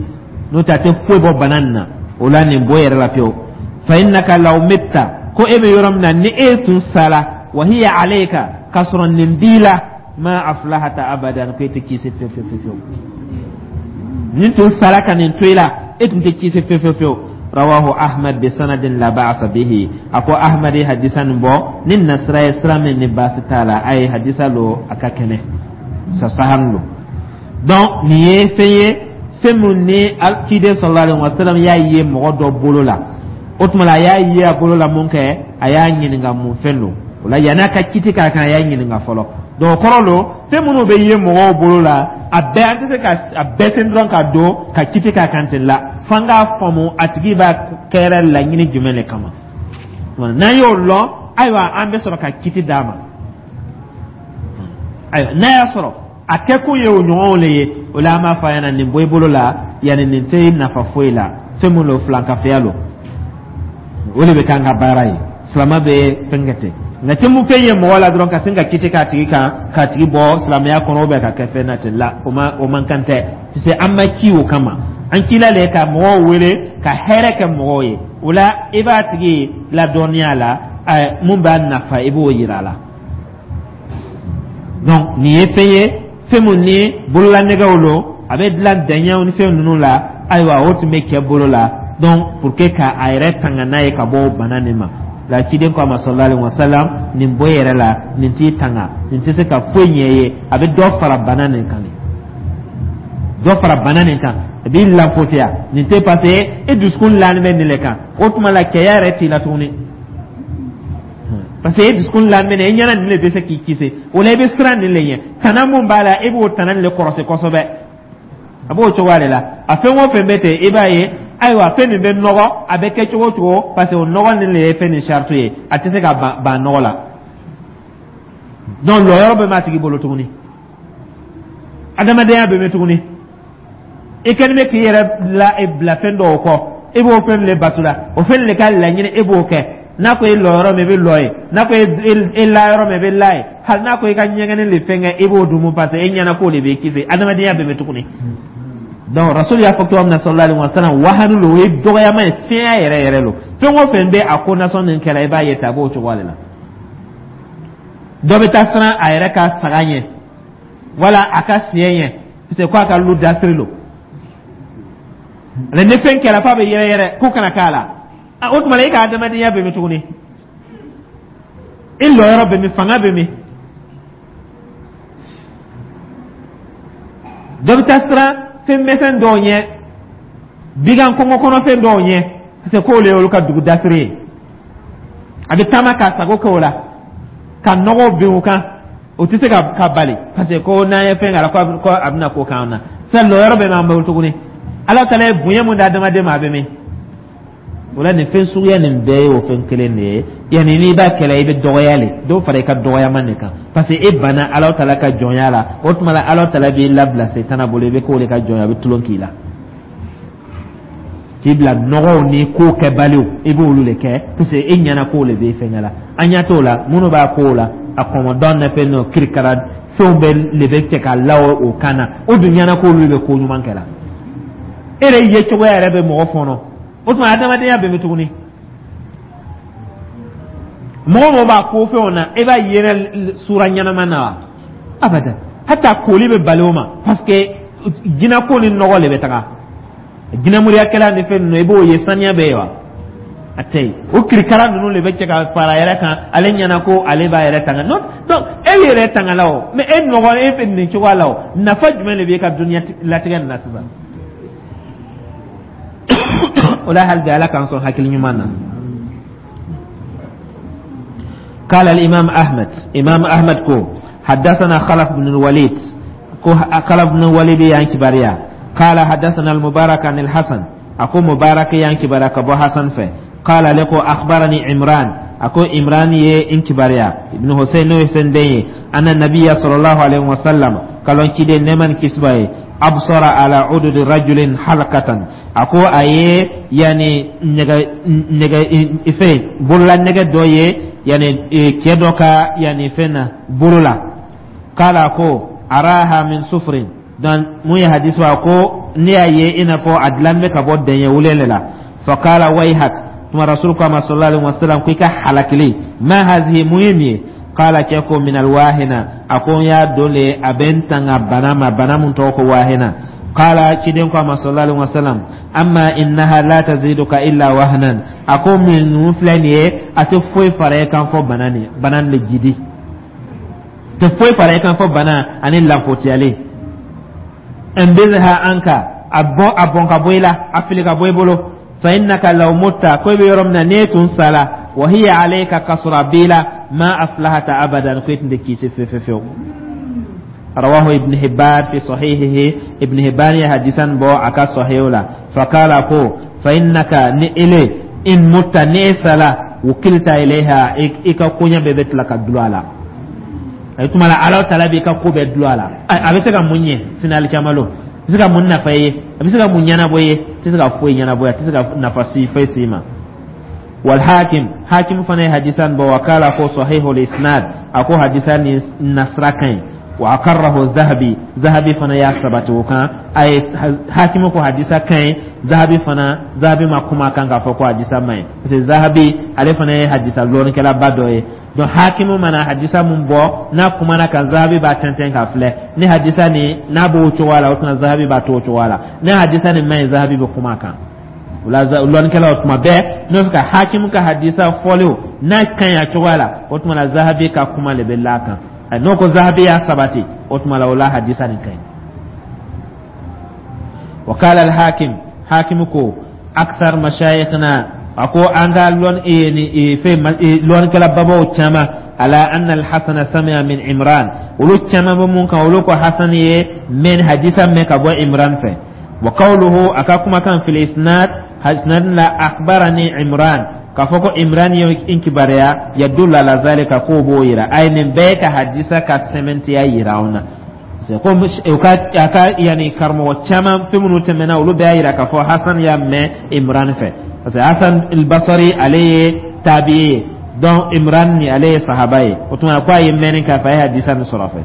n'o tɛ a tɛ foyi bɔ bana nin na. O la, nin bɔ yɛrɛ la pewu. Fa innaka law mitta, ko e bɛ yɔrɔ min na, ni e tun sara, wa hiya alayka, k'a sɔrɔ nin b'i la, ma aflahata abadan, ko e tɛ kisi fewu fewu fewu. Nin tun sara ka nin to i la, e tun tɛ kisi fewu fewu fewu. Rawahu Ahmad bi sanadin la ba'sa bihi, a ko Ahmad ye hadisa nin bɔ ni nasira ye, sira min ni baasi t'a la. A ye hadisa lo, a ka kɛnɛ sasahan lo. Donc nin ye fɛn ye, fɛn min ni ciden sallallahu alaihi wasallam y'a ye mɔgɔ dɔ bolo la, o tuma la a y'a ye a bolo la mun kɛ, a y'a ɲininka mun fɛn don. O la, yan'a ka kiti k'a kan, a y'a ɲininka fɔlɔ. Donc o kɔrɔ lo, fɛn minnu bɛ ye mɔgɔw bolo la, a bɛɛ, an tɛ se ka a bɛɛ sen dɔrɔn ka don ka kiti k'a kan ten la, f'an k'a faamu a tigi b'a kɛra laɲini jumɛn de kama. N'an y'o lɔn, ayiwa, an bɛ sɔrɔ ka kiti d'a ma. Ayiwa, n'a y'a sɔrɔ a kɛkun ye o ɲɔgɔnw le ye, o la an b'a fɔ a ɲɛna nin bɔ i bolo la, yanni nin tɛ nafa foyi la, fɛn min don, filankafoya lo, o de bɛ k'an ka baara ye. Silama bɛ fɛn kɛ ten. Nka tɛ mun fɛn ye mɔgɔ la dɔrɔn ka sin ka kiti k'a tigi kan, k'a tigi bɔ silamɛya kɔnɔ, ou ka kɛ fɛn na ten la, o ma, o man kan tɛ, parce que an ma ci o kama. An cila le ka mɔgɔw wele ka hɛrɛ kɛ mɔgɔw ye. O la, i b'a tigi ladɔnniya la, mun b'a nafa, i b'o yira a la. Donc nin ye fɛn ye, fɛn mun ni bololanɛgɛw lo, a bɛ dilan dɛɲɛw ni fɛn ninnu la. Ayiwa, o tun bɛ kɛ bolo la, donc pour que ka a yɛrɛ tanga n'a ye ka bɔ bana nin ma. La ciden ko a ma, sallallahu alaihi wasallam, nin bɔ yɛrɛ la, nin t'i tanga, nin tɛ se ka foyi ɲɛ ye, a bɛ dɔ fara bana nin kan, dɔ fara bana nin kan, a b'i lanfotiya. Nin tɛ, parce que e dusukun lanin bɛ nin le kan. O tuma la, cɛya yɛrɛ t'i la tuguni, parce que e dusukun lanin bɛ nin, e ɲɛna nin le bɛ se k'i kisi. O la, i bɛ siran nin le ɲɛ. Tana mun b'a la, e b'o tana nin le kɔrɔsi kosɛbɛ. A b'o cogoya de la. A fɛn o fɛn bɛ ten, i b'a ye, ayiwa, fɛn min bɛ nɔgɔ, a bɛ kɛ cogo o cogo, parce que o nɔgɔ nin le ye fɛn nin sariti ye, a tɛ se ka ban nɔgɔ la. Donc lɔyɔrɔ bɛɛ b'a tigi bolo tuguni, adamadenya bɛ mɛn tuguni. I kɛlen bɛ k'i yɛrɛ la bila fɛn dɔw kɔ, i b'o fɛn le bato la, o fɛn le ka laɲini, e b'o kɛ. N'a ko e lɔ yɔrɔ min, i bɛ lɔ yen. N'a ko e la yɔrɔ min, i bɛ la yen. Hali n'a ko i ka ɲɛgɛnni le fɛn kɛ, i b'o dun, parce que e ɲɛna k'o de b'i kisi. Adamadenya bɛ mɛn tuguni. Donc rasul y'a fɔ cogo min na, sallallahu alaihi wa sallam, wahanu lo, o ye dɔgɔyama ye, fiɲɛ yɛrɛ yɛrɛ lo. Fɛn o fɛn bɛ a ko nasɔn nin kɛra, i b'a ye ten, a b'o cogoya de la. Dɔ bɛ taa siran a yɛrɛ ka saga ɲɛ wala a ka siyɛ ɲɛ, parce que k'a ka lu dasiri lo. Ale ni fɛn kɛra f'a bɛ yɛrɛ yɛrɛ ko kana k'a la. O tuma la, e ka adamadenya bɛ min tuguni? E lɔyɔrɔ bɛ min? Fanga bɛ min? Dɔ bɛ taa siran fɛn misɛn dɔw ɲɛ, bigan kɔngɔ kɔnɔfɛn dɔw ɲɛ, parce que k'olu ye olu ka dugu dasiri ye. A bɛ taama k'a sago kɛ o la, ka nɔgɔ bin o kan, o tɛ se ka bali, parce que ko n'an ye fɛn k'a la, ko a bɛna ko k'an na. Sisan lɔyɔrɔ bɛ m'an bolo tuguni? Ala taala ye bonya mun di adamaden ma, a bɛ min? O la, nin fɛn suguya nin bɛɛ ye o fɛn kelen de ye. Yanni n'i b'a kɛlɛ, i bɛ dɔgɔya le, dɔ fara i ka dɔgɔyama nin kan, parce que e banna Ala taala ka jɔnya la. O tuma la, Ala taala b'i labila setana bolo, i bɛ k'o de ka jɔnya, a bɛ tulon k'i la, k'i bila nɔgɔw ni ko kɛbaliw, i b'olu de kɛ, parce que e ɲɛna k'o de b'i fɛngɛ la. An ɲɛ t'o la, minnu b'a ko la, a kɔmɔdɔn na fɛn n'o kirikara fɛnw bɛ le bɛ cɛ ka la o kan na, o dun ɲɛna k'olu bɛ ko ɲuman kɛ la. E yɛrɛ ye cogoya yɛrɛ bɛ mɔgɔ fɔnɔ. O tuma, adamadenya bɛ min tuguni? Mɔgɔ mɔgɔ b'a ko fɛnw na, e b'a yɛrɛ sura ɲɛnama na wa? Abada, hata koli bɛ bali o ma, parce que jinako ni nɔgɔ le bɛ taga. Jinɛmuriyakɛla ni fɛn ninnu, i b'o ye, saniya bɛ yen wa? A tɛ yen. O kirikara ninnu de bɛ cɛ ka fara a yɛrɛ kan, ale ɲɛna ko ale b'a yɛrɛ tanga. Non, donc e yɛrɛ tanga la o, mais e nɔgɔ, e fɛ nin cogoya la o, nafa jumɛn de b'e ka dunuya latigɛ nin na sisan? O la, hali bi, Ala k'an sɔn hakili ɲuman na. قال الإمام أحمد، إمام أحمد كو حدثنا خلف بن الوليد، كو خلف بن الوليد يعني كباريا. قال حدثنا المبارك عن الحسن، أكو مبارك يعني كبارك أبو حسن في. قال لكو أخبرني عمران، أكو عمران يه إنكباريا ابن حسين حسين دي، أن النبي صلى الله عليه وسلم قالوا كده نمن كسباي أبصر على عدد رجل حلقة، أكو أيه يعني نجا نجا إفين بولا نجا دويه يعني كيدوكا يعني فين بولا. قال أكو أراها من صفر. Donc mun ye hadisi wa ko ne y'a ye i n'a fɔ a dilan bɛ ka bɔ dɛɲɛ wulen la. Faqala wayhak, tuma rasul ko a ma, sallallahu alaihi wasallam, ko i ka halakili, ma hazihi, mun ye nin ye? Qala, cɛ ko min alwahina, a ko n y'a don le, a bɛ n tanga bana ma, bana mun tɔgɔ ko wahina. Qala, ciden ko a ma, sallallahu alaihi wasallam, amma innaha la taziduka illa wahnan, a ko min ninnu filɛ nin ye, a tɛ foyi fara e kan fɔ bana nin, bana nin le jidi tɛ foyi fara e kan fɔ bana ani lanfotiyalen. Inbidha anka, a bɔn, a bɔn ka bɔ i la, a fili ka bɔ i bolo. Fa innaka law mutta, ko i bɛ yɔrɔ min na, n'e tun sala, wa hiya alayka, kasɔrɔ a b'i la, ma aflahata abadan, ko e tun tɛ kisi fewu fewu fewu. Rawahu Ibn Hibban fi sahihihi, Ibn Hibban ye hadisan bɔ a ka sahihu la. Fakala ko fa innaka, ni ele in mutta, ni e sala, wukilta ilayha, i ka koɲɛ bɛɛ bɛ tila ka dulon a la. A tuma la, Ala taala b'i ka ko bɛɛ dulon a la. A bɛ se ka mun ɲɛ sini alikiyama lon? A bɛ se ka mun nafa i ye? A bɛ se ka mun ɲɛnabɔ i ye? A tɛ se ka foyi ɲɛnabɔ, a tɛ se ka nafa si foyi s'i ma. Wal Hakim, Hakim fana ye hadisa nin bɔ. Wa kala, ko sahihul isnad, a ko hadisa nin nasira ka ɲi. Wa akarrahu Zahabi, Zahabi fana y'a sabati o kan. A ye Hakimu ko hadisa ka ɲi, Zahabi fana, Zahabi ma kuma kan k'a fɔ ko hadisa man ɲi, parce que Zahabi ale fana ye hadisa lɔnnikɛlaba dɔ ye. Donc Hakimu mana hadisa mun bɔ, n'a kumana kan, Zahabi b'a tɛntɛn k'a filɛ ni hadisa ni n'a b'o cogoya la, o tuma Zahabi b'a to o cogoya la. Ni hadisa nin man ɲi, Zahabi bɛ kuma a kan. O la, lɔnnikɛlaw tuma bɛɛ n'o fɛ ka Hakimu ka hadisa fɔlenw n'a ka ɲi a cogoya la, o tuma la Zahabi ka kuma de bɛ la a kan. N'o ko Zahabi y'a sabati, o tuma la o la hadisa nin ka ɲi. Wa qala al-Hakim, Hakim ko akthar mashayikhna, a ko an ka lɔn ni fɛn lɔnnikɛla babaw caman, ala anna al-Hasan sami'a min Imran, olu caman bɛ mun kan, olu ko Hasan ye mɛn hadisa mɛn ka bɔ Imran fɛ. Wa qawluhu, a ka kumakan, fil isnad, isnad la, akhbarani Imran, k'a fɔ ko Imran ye n kibaruya, yadullu ala zalika, k'o b'o yira. A ye nin bɛɛ ka hadisa ka sɛmɛntiya yira anw na. C'est comme u ka a ka yani karamɔgɔ caman fɛn minnu tɛmɛna, olu bɛɛ y'a yira k'a fɔ Hasan y'a mɛn Imran fɛ, parce que Hasan al-Basri ale ye tabi'i ye, donc Imran ni ale ye sahaba ye. O tuma ko a ye mɛnni k'a fɛ, a ye hadisa nin sɔrɔ a fɛ.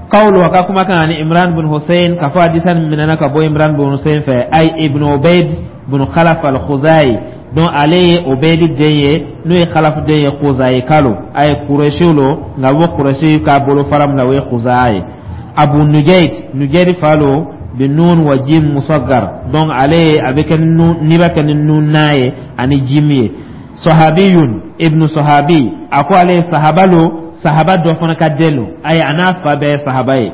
Qawlu, a ka kumakan, ani Imran bin Hussein, k'a fɔ hadisa nin minɛna ka bɔ Imran bin Hussein fɛ, ay ibn Ubayd bin Khalaf al-Khuzai. Donc ale ye Ubayd den ye, n'o ye Khalaf den ye, Khuzai kalo a ye Kuresiw lo, nka bɔ Kuresi ka bolo fara min na, o ye Khuzai ye. Abu Nujayd, Nujayd fa lo, bi nun wa jim musaggar. Donc ale ye a bɛ kɛ nun, n'i b'a kɛ ni nun n'a ye ani jim ye. Sahabiyun ibnu sahabi, a ko ale ye sahaba lo, sahaba dɔ fana ka den lo, ayi a n'a fa bɛɛ ye sahaba ye.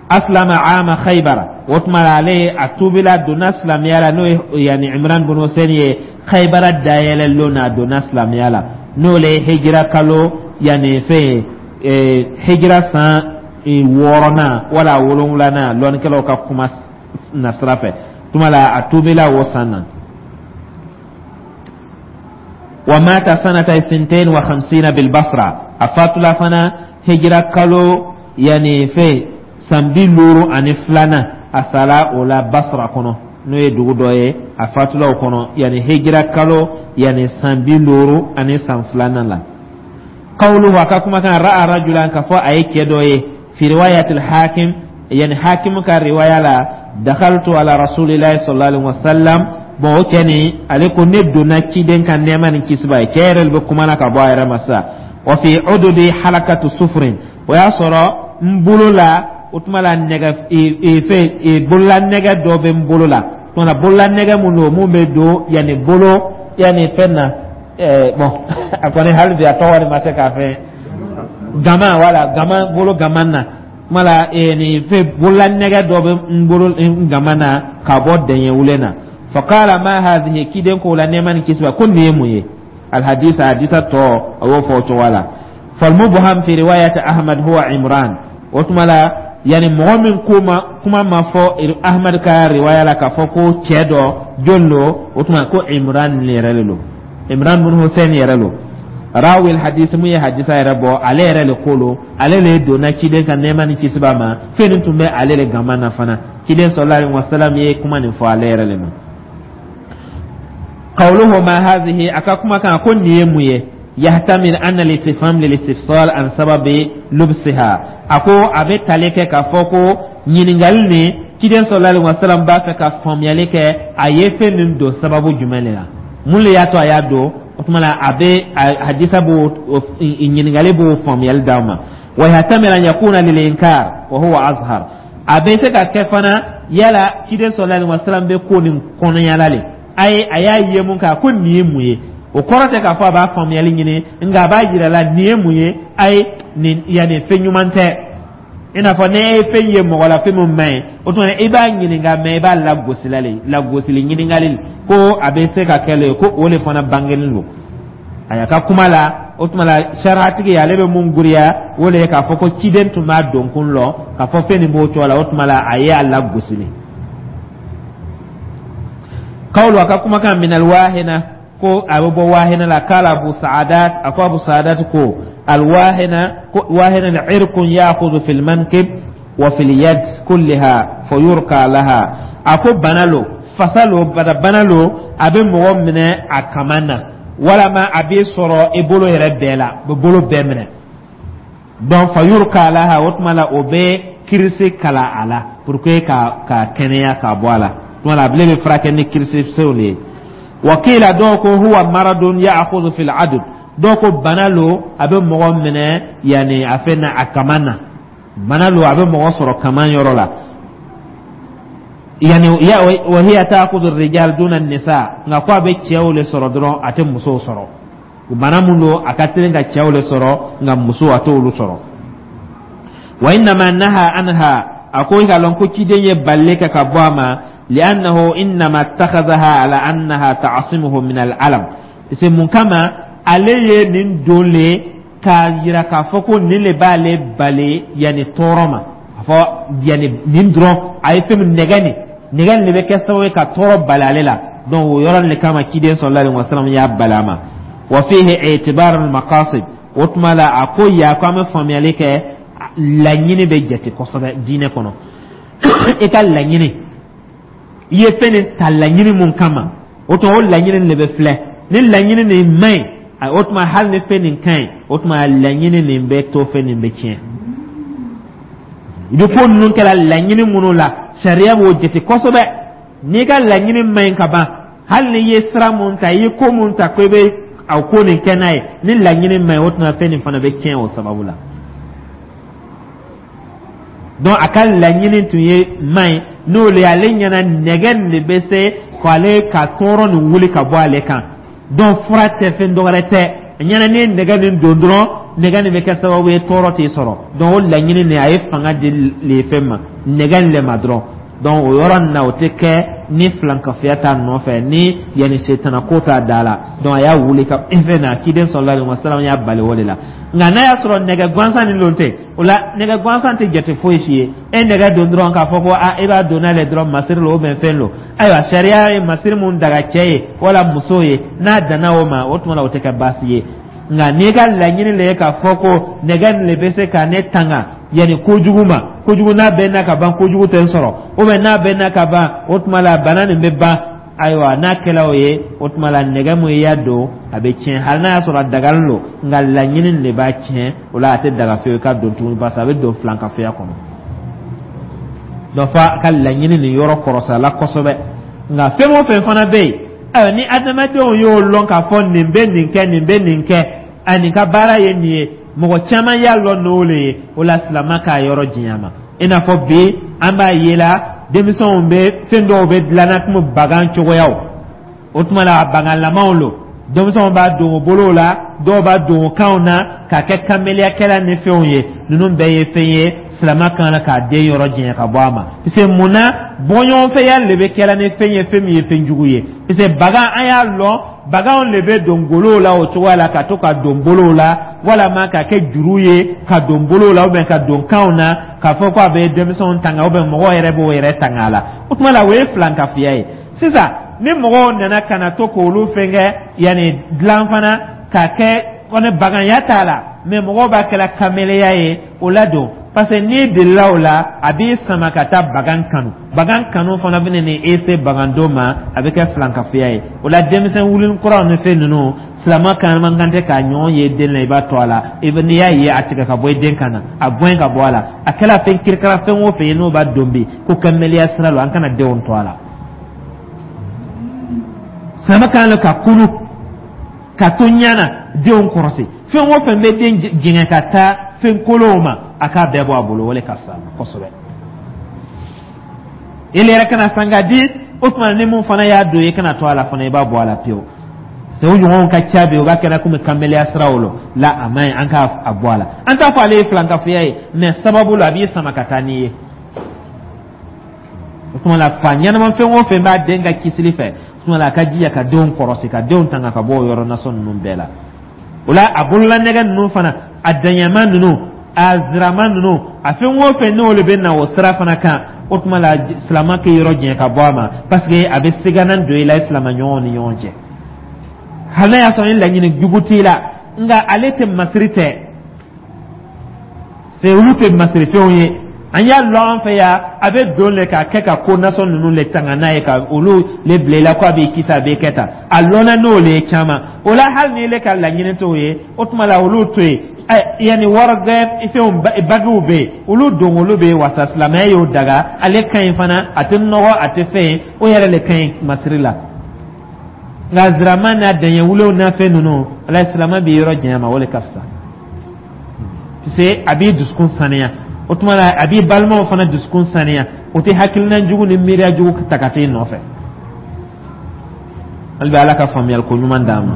Aslama ama Khaybara, o tuma la ale a tuubila, donna silamɛya la, n'o ye yani Imran bin Hussein ye, Khaybara dayɛlɛ lon na a donna silamɛya la, n'o le ye hijira kalo yani fɛn ye, hijira san wɔɔrɔnan wala wolonwulanan, lɔnnikɛlaw ka kuma nasira fɛ. Tuma la a tuubila o san na. Wa mata sanata 52 bil Basra, a fatula fana hijira kalo yani fɛn san 52nan, a sala o la Basra kɔnɔ, n'o ye dugu dɔ ye. A fatula o kɔnɔ yani hijira kalo yani san 52 san la. Qawluhu, a ka kumakan, ra'a rajulan, ka fɔ a ye cɛ dɔ ye, fi riwayatil Hakim, yani Hakim ka riwaya la, dakhaltu ala rasulillahi sallallahu alaihi wasallam. Bon, o cɛ nin ale ko ne donna ciden ka nɛɛma ni kisi b'a ye. Cɛ yɛrɛ de bɛ kuma na ka bɔ a yɛrɛ ma sisan. Wa fi ududi halakatu sufrin, o y'a sɔrɔ n bolo la, o tuma la nɛgɛ fɛn bolola nɛgɛ dɔ bɛ n bolo la. O tuma la bolola nɛgɛ mun don, mun bɛ don yanni bolo yanni fɛn na, bon, a kɔni hali bi a tɔgɔ de ma se k'a fɛn gama, wala gama, bolo gama na. Kuma la nin fɛn bolola nɛgɛ dɔ bɛ n bolo n gama na ka bɔ dɛɲɛ wulen na. Faqala ma hadhihi, kiden ko la nɛɛma ni kisi b'a ko nin ye mun ye? Alhadisa, hadisa tɔ a y'o fɔ o cogoya la. Falmubham fi riwayat Ahmad huwa Imran. O tuma la yani mɔgɔ min ko ma kuma ma fɔ Ahmad ka riwaya la k'a fɔ ko cɛ dɔ jɔn lo, o tuma ko Imran yɛrɛ le lo, Imran bin Hussein yɛrɛ lo, rawi hadisi mun ye hadisa yɛrɛ bɔ, ale yɛrɛ le ko lo, ale le donna ciden ka nɛɛma ni kisi b'a ma, fɛn nin tun bɛ ale le gama na fana. Ciden sallallahu alaihi wasallam ye kuma nin fɔ ale yɛrɛ le ma. Qawluhu ma hadhihi, a ka kuma kan ko nin ye mun ye, yahtamil anna al-istifham lil-istifsal an sababi lubsiha, a ko a bɛ tali kɛ k'a fɔ ko ɲininkali nin, ciden sallallahu alaihi wasallam b'a fɛ ka faamuyali kɛ a ye fɛn min don sababu jumɛn de la, mun de y'a to a y'a don. O tuma la a bɛ hadisa b'o ɲininkali b'o faamuyali d'aw ma. Wa yahtamil an yakuna lil-inkar wa huwa azhar, a bɛ se ka kɛ fana yala ciden sallallahu alaihi wasallam bɛ ko nin kɔnɔyala le, a ye a y'a ye mun kan ko nin ye mun ye. O kɔrɔ tɛ k'a fɔ a b'a faamuyali ɲini, nka a b'a yira la nin ye mun ye, a ye nin yanni fɛn ɲuman tɛ. I n'a fɔ n'e ye fɛn ye mɔgɔ la, fɛn min man ɲi, o tuma i b'a ɲininka, mɛ i b'a lagosi la le, lagosili ɲininkali ko a bɛ se ka kɛ le ko o de fana bangelen don a y'a ka kuma la. O tuma la sariatigi ale bɛ mun guriya, o de ye k'a fɔ ko ciden tun b'a donkun lɔ k'a fɔ fɛn nin b'o cogo la, o tuma la a ye a lagosili. Qawlu, a ka kumakan, min alwahina, ko a bɛ bɔ wahina la. Kala Abu Sa'adat, a ko Abu Sa'adat ko alwahina, ko wahina irkun ya'khudhu fil mankib wa fil yad kulliha fayurqa laha, a ko bana lo. Fasa lo, bana lo, a bɛ mɔgɔ minɛ a kaman na, walama a b'i sɔrɔ i bolo yɛrɛ bɛɛ la, a bɛ bolo bɛɛ minɛ. Donc fayurka laha, o tuma la o bɛ kirisi kala a la pour que ka kɛnɛya ka bɔ a la. O tuma la a bilen bɛ furakɛ ni kirisisenw de ye. Wakila, dɔw ko huwa maradun ya'khudhu fil adud, dɔw ko bana lo, a bɛ mɔgɔ minɛ yanni a fɛn na, a kaman na. Bana lo, a bɛ mɔgɔ sɔrɔ kaman yɔrɔ la. Yani wa hiya ta'khudhu ar-rijal duna an-nisa, nka ko a bɛ cɛw le sɔrɔ dɔrɔn, a tɛ musow sɔrɔ. Bana mun don, a ka teli ka cɛw le sɔrɔ, nka muso a t'olu sɔrɔ. Wa innama naha anha, a ko i k'a lɔn ko ciden ye balili kɛ ka bɔ a ma, li'annahu innama ittakhadhaha ala annaha ta'simuhu min al-alam. C'est mun kama ale ye nin don le k'a yira k'a fɔ ko nin le b'ale bali yanni tɔɔrɔ ma. A fɔ yanni nin dɔrɔn, a ye fɛn min nɛgɛ, nin nɛgɛ nin de bɛ kɛ sababu ye ka tɔɔrɔ bali ale la. Donc o yɔrɔ nin de kama ciden sallallahu alaihi wasallam y'a bali a ma. Wa fihi i'tibar al-maqasid, o tuma la a ko ya ko an bɛ faamuyali kɛ, laɲini bɛ jate kosɛbɛ diinɛ kɔnɔ. I ka laɲini, i ye fɛn nin ta laɲini mun kama, o tuma o laɲini de bɛ filɛ. Ni laɲini nin man ɲi, o tuma hali ni fɛn nin ka ɲi, o tuma laɲini nin bɛ to, fɛn nin bɛ tiɲɛ. I bɛ ko ninnu kɛra laɲini minnu la, sariya b'o jate kosɛbɛ. N'i ka laɲini man ɲi ka ban, hali n'i ye sira mun ta, i ye ko mun ta ko i bɛ a ko nin kɛ n'a ye, ni laɲini man ɲi, o tuma fɛn nin fana bɛ tiɲɛ o sababu la. Donc a ka laɲini tun ye man ɲi, n'o le ale ɲɛna nɛgɛ nin de bɛ se k'ale ka tɔɔrɔ nin wuli ka bɔ ale kan. Donc fura tɛ, fɛn dɔwɛrɛ tɛ, a ɲɛna n'i ye nɛgɛ nin don dɔrɔn, nɛgɛ nin bɛ kɛ sababu ye tɔɔrɔ t'i sɔrɔ. Donc o laɲini nin, a ye fanga di le fɛn ma, nɛgɛ nin le ma dɔrɔn. Donc o yɔrɔ nin na, o tɛ kɛ ni filankafoya t'a nɔfɛ, ni yanni setana ko t'a da la. Donc a y'a wuli ka fɛn na, ciden sallallahu alaihi wasallam y'a bali o de la. Nka n'a y'a sɔrɔ nɛgɛ gansan nin lon tɛ, o la nɛgɛ gansan tɛ jate foyi si ye. E nɛgɛ don dɔrɔn k'a fɔ ko a e b'a don n'ale dɔrɔn masiri lo ou bien fɛn lo, ayiwa, sariya ye masiri mun daga cɛ ye wala muso ye, n'a danna o ma, o tuma la o tɛ kɛ baasi ye. Nka n'i ka laɲini le ye k'a fɔ ko nɛgɛ nin le bɛ se ka ne tanga yanni kojugu ma, kojugu n'a bɛ na ka ban, kojugu tɛ n sɔrɔ, ou bien n'a bɛ na ka ban, o tuma la bana nin bɛ ban, ayiwa, n'a kɛla o ye, o tuma la nɛgɛ mun i y'a don, a bɛ tiɲɛ. Hali n'a y'a sɔrɔ a dagalen don, nka laɲini de b'a tiɲɛ. O la a tɛ daga fiyewu i ka don tuguni, parce que a bɛ don filankafoya kɔnɔ. Donc f'a ka laɲini nin yɔrɔ kɔrɔsa la kosɛbɛ. Nka fɛn o fɛn fana bɛ yen, ayiwa, ni adamadenw y'o lɔn k'a fɔ nin bɛ nin kɛ, nin bɛ nin kɛ, a nin ka baara ye nin ye, mɔgɔ caman y'a lɔn n'o le ye, o la silama k'a yɔrɔ janya ma. I n'a fɔ bi an b'a ye la, denmisɛnw bɛ fɛn dɔw bɛ dilanna komi bagan cogoyaw. O tuma la a baganlamaw lo, denmisɛnw b'a don o bolow la, dɔw b'a don o kanw na k'a kɛ kameliyakɛla ni fɛnw ye. Ninnu bɛɛ ye fɛn ye silama kan k'a den yɔrɔ janya ka bɔ a ma. Parce que mun na bɔɲɔgɔnfɛya de bɛ kɛla ni fɛn ye, fɛn min ye fɛn jugu ye? Parce que bagan, an y'a lɔn baganw de bɛ don golow la o cogoya la, ka to ka don bolow la, walama ka kɛ juru ye ka don bolow la ou bien ka don kanw na, k'a fɔ ko a bɛ denmisɛnw tanga ou bien mɔgɔw yɛrɛ b'o yɛrɛ tanga a la. O tuma la o ye filankafoya ye. Sisan ni mɔgɔw nana ka na to k'olu fɛn kɛ yanni dilan fana k'a kɛ kɔni baganya t'a la, mais mɔgɔw b'a kɛla kameleya ye, o la don, parce que n'i delila o la, a b'i sama ka taa bagan kanu. Bagan kanu fana bɛ ni e se bagandon ma, a bɛ kɛ filankafoya ye. O la denmisɛn wulin kuraw ni fɛn ninnu, silama kan man kan tɛ k'a ɲɔgɔn ye den na. I b'a to a la, i bɛ n'i y'a ye, a tigɛ ka bɔ i den kan na, a gɛn ka bɔ a la. A kɛla fɛn kirikara fɛn o fɛn ye, n'o b'a don bi ko kameleya sira la, an kana denw to a la. Silama kan ka kunu ka to ɲana denw kɔrɔsi. Fɛn o fɛn bɛ den jɛngɛ ka taa fɛn kolonw ma, a k'a bɛɛ bɔ a bolo, o le ka fisa kosɛbɛ. Ele yɛrɛ kana san ka di o tuma, ni mun fana y'a don, i kana to a la fana, i b'a bɔ a la pewu. C'est o ɲɔgɔnw ka ca bi, o b'a kɛra komi kameleya siraw lo la, a man ɲi, an k'a bɔ a la. An t'a fɔ ale ye filankafoya ye, mais sababu la a b'i sama ka taa n'i ye. O tuma la fa ɲɛnama fɛn o fɛn b'a den ka kisili fɛ, o tuma la a ka jija ka denw kɔrɔsi, ka denw tanga ka bɔ o yɔrɔ nasɔn ninnu bɛɛ la. O la a bololanɛgɛ ninnu fana, a daɲɛma ninnu, a zirama ninnu, a fɛn o fɛn n'olu bɛ na o sira fana kan, o tuma la silama k'i yɔrɔ janya ka bɔ a ma, parce que a bɛ siganan don i la i silama ɲɔgɔnw ni ɲɔgɔn cɛ. Hali n'a y'a sɔrɔ ni laɲini jugu t'i la, nka ale tɛ masiri tɛ, c'est olu tɛ masirifɛnw ye. An y'a lɔn an fɛ yan, a bɛ don le k'a kɛ ka ko nasɔn ninnu le tanga n'a ye, ka olu le bila i la ko a b'i kisi, a b'i kɛ tan. A lɔnna n'o le ye caman o la. Hali ni ile ka laɲini t'o ye, o tuma la olu to yen. Yanni wɔrɔgɛ fɛnw bagiw bɛ yen, olu don, olu bɛ wasa. Silamɛya y'o daga, ale ka ɲi fana, a tɛ nɔgɔ, a tɛ fɛn ye, o yɛrɛ le ka ɲi masiri la. Nka zirama n'a dɛɲɛ wulew n'a fɛn ninnu, ala silamɛ b'i yɔrɔ janya ma, o le ka fisa, parce a b'i dusukun saniya. O tuma la a b'i balimaw fana dusukun saniya, o tɛ hakilina jugu ni miiriya jugu ta ka t'i nɔfɛ. Hali bi Ala ka faamuyali ko ɲuman d'an ma.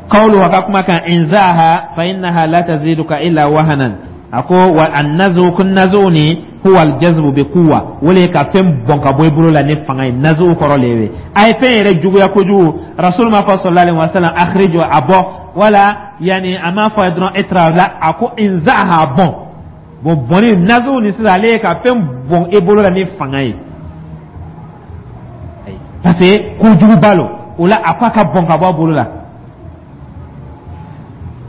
Qawlu, a ka kuma kan, inzaha fa innaha la taziduka illa wahanan. A ko wa annazu kun nazu ni huwa aljazbu bi quwwa, o le ka fɛn bɔn ka bɔ i bolo la ni fanga ye. Nazu kɔrɔ le ye a ye fɛn yɛrɛ juguya kojugu. Rasul ma fɔ sallallahu alaihi wasallam akhriju, a bɔ, wala yani a m'a fɔ a ye dɔrɔn itra la, a ko inzaha, bɔn. Bon, bɔnni nazu ni sisan, ale ye ka fɛn bɔn i bolo la ni fanga ye, parce que kojuguba lo. O la a ko a ka bɔn ka bɔ a bolo la.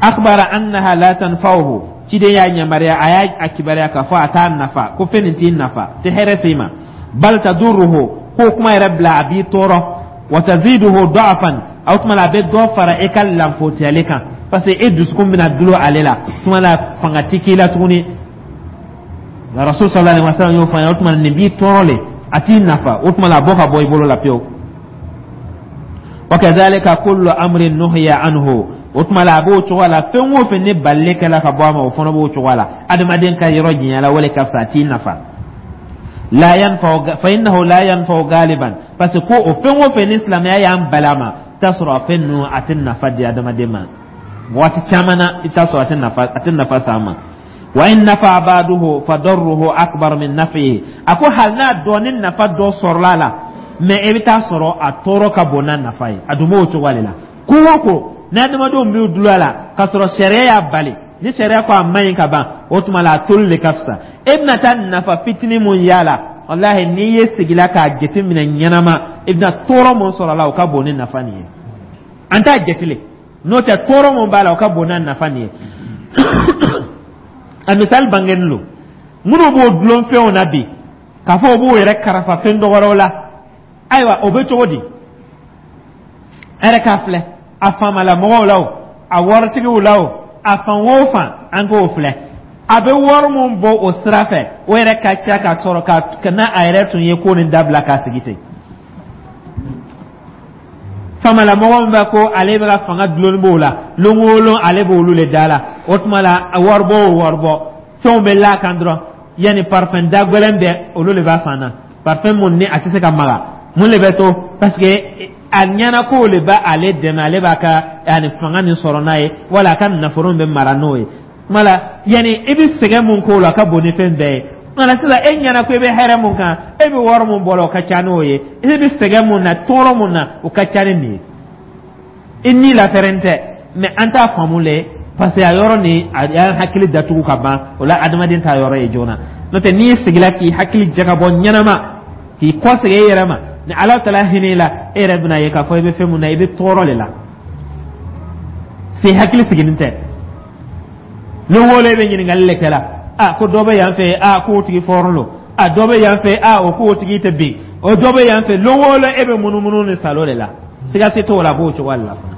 Akhbara annaha la tanfa'uhu, ciden y'a yamaruya, a y'a a kibaruya k'a fɔ a t'a nafa, ko fɛn nin t'i nafa, tɛ hɛrɛ s'i ma. Bal tadurruhu, k'o kuma yɛrɛ bila, a b'i tɔɔrɔ. Wa taziduhu da'afan, o tuma la a bɛ dɔ fara e ka lanfotiyali kan, parce que e dusukun bɛna dulon ale la, tuma la fanga ti k'i la tuguni. Rasul sallallahu alaihi wasallam y'o fɔ an ye. O tuma nin b'i tɔɔrɔ le, a t'i nafa. O tuma la a bɔ ka bɔ i bolo la pewu. Wa kadhalika kullu amrin nuhiya anhu, o tuma la a b'o cogo la, fɛn o fɛn ni balili kɛla ka bɔ a ma, o fana b'o cogo la. Adamaden ka yɔrɔ janya la, o le ka fisa, a t'i nafa. La yanfa'u fa innahu la yanfa'u galiban, parce que ko o fɛn o fɛn ni silamɛya y'an bali a ma, i t'a sɔrɔ a fɛn ninnu a tɛ nafa di adamaden ma. Waati caman na, i t'a sɔrɔ a tɛ nafa s'a ma. Wa in nafa ba'duhu fa darruhu akbar min naf'ihi, a ko hali n'a dɔɔni nafa dɔ sɔrɔla a la, mais i bɛ taa sɔrɔ a tɔɔrɔ ka bon n'a nafa ye. A dun b'o cogo de la. Ko o ko ni adamadenw b'u dulon a la k'a sɔrɔ sariya y'a bali, ni sariya ko a man ɲi ka ban, o tuma la a toli de ka fisa. E bɛna taa nafa fitinin mun y'a la, walahi, n'i ye sigila k'a jateminɛ ɲɛnama, i bɛna tɔɔrɔ mun sɔrɔ a la, o ka bon ni nafa nin ye. An t'a jate, n'o tɛ tɔɔrɔ mun b'a la, o ka bon n'a nafa nin ye. A misali bangeni lo, minnu b'o dulon fɛnw na bi, k'a fɔ o b'o yɛrɛ karafa fɛn dɔ wɛrɛw la. Ayiwa, o bɛ cogo di? A yɛrɛ k'a filɛ, a faamalamɔgɔw la o, a waritigiw la o, a fan o fan, an k'o filɛ, a bɛ wari mun bɔ o sira fɛ, o yɛrɛ ka ca ka sɔrɔ ka n'a a yɛrɛ tun ye ko nin dabila k'a sigi ten. Faamalamɔgɔ min bɛ ko ale bɛ ka fanga dulonni b'o la, lon o lon ale b'olu le da la. O tuma la waribɔ o waribɔ fɛnw bɛ l'a kan dɔrɔn, yanni parfum da gɛlɛn bɛɛ olu de b'a san na. Parfum mun ni a tɛ se ka maga, mun de bɛ to? Parce que a ɲɛna k'o le b'a ale dɛmɛ, ale b'a ka yanni fanga nin sɔrɔ n'a ye, wala a ka nafolo bɛ mara n'o ye. Kuma la yanni i bɛ sɛgɛn mun k'o la, a ka bon ni fɛn bɛɛ ye. Nka sisan e ɲɛna ko i bɛ hɛrɛ mun kan, e bɛ wari mun bɔ la, o ka ca n'o ye. E bɛ sɛgɛn mun na, tɔɔrɔ mun na, o ka ca ni nin ye. I ni lafɛrɛn tɛ, mais an t'a faamu le, parce que a yɔrɔ nin a y'an hakili datugu ka ban. O la adamaden t'a yɔrɔ ye joona. N'o tɛ, n'i sigila k'i hakili jagabɔ ɲɛnama, k'i kɔsegin e yɛrɛ ma, ni Ala taala hinɛ la, e yɛrɛ bɛna ye k'a fɔ i bɛ fɛn mun na, i bɛ tɔɔrɔ de la se. Hakili sigilen tɛ, lon o lon e bɛ ɲininkali le kɛ la. A ko dɔ bɛ yan fɛ, a k'o tigi fɔrɔn lo. A dɔ bɛ yan fɛ, a o k'o tigi tɛ bin. O dɔ bɛ yan fɛ, lon o lon e bɛ munumunu ni salo de la. Siga si t'o la, a b'o cogoya de la fana.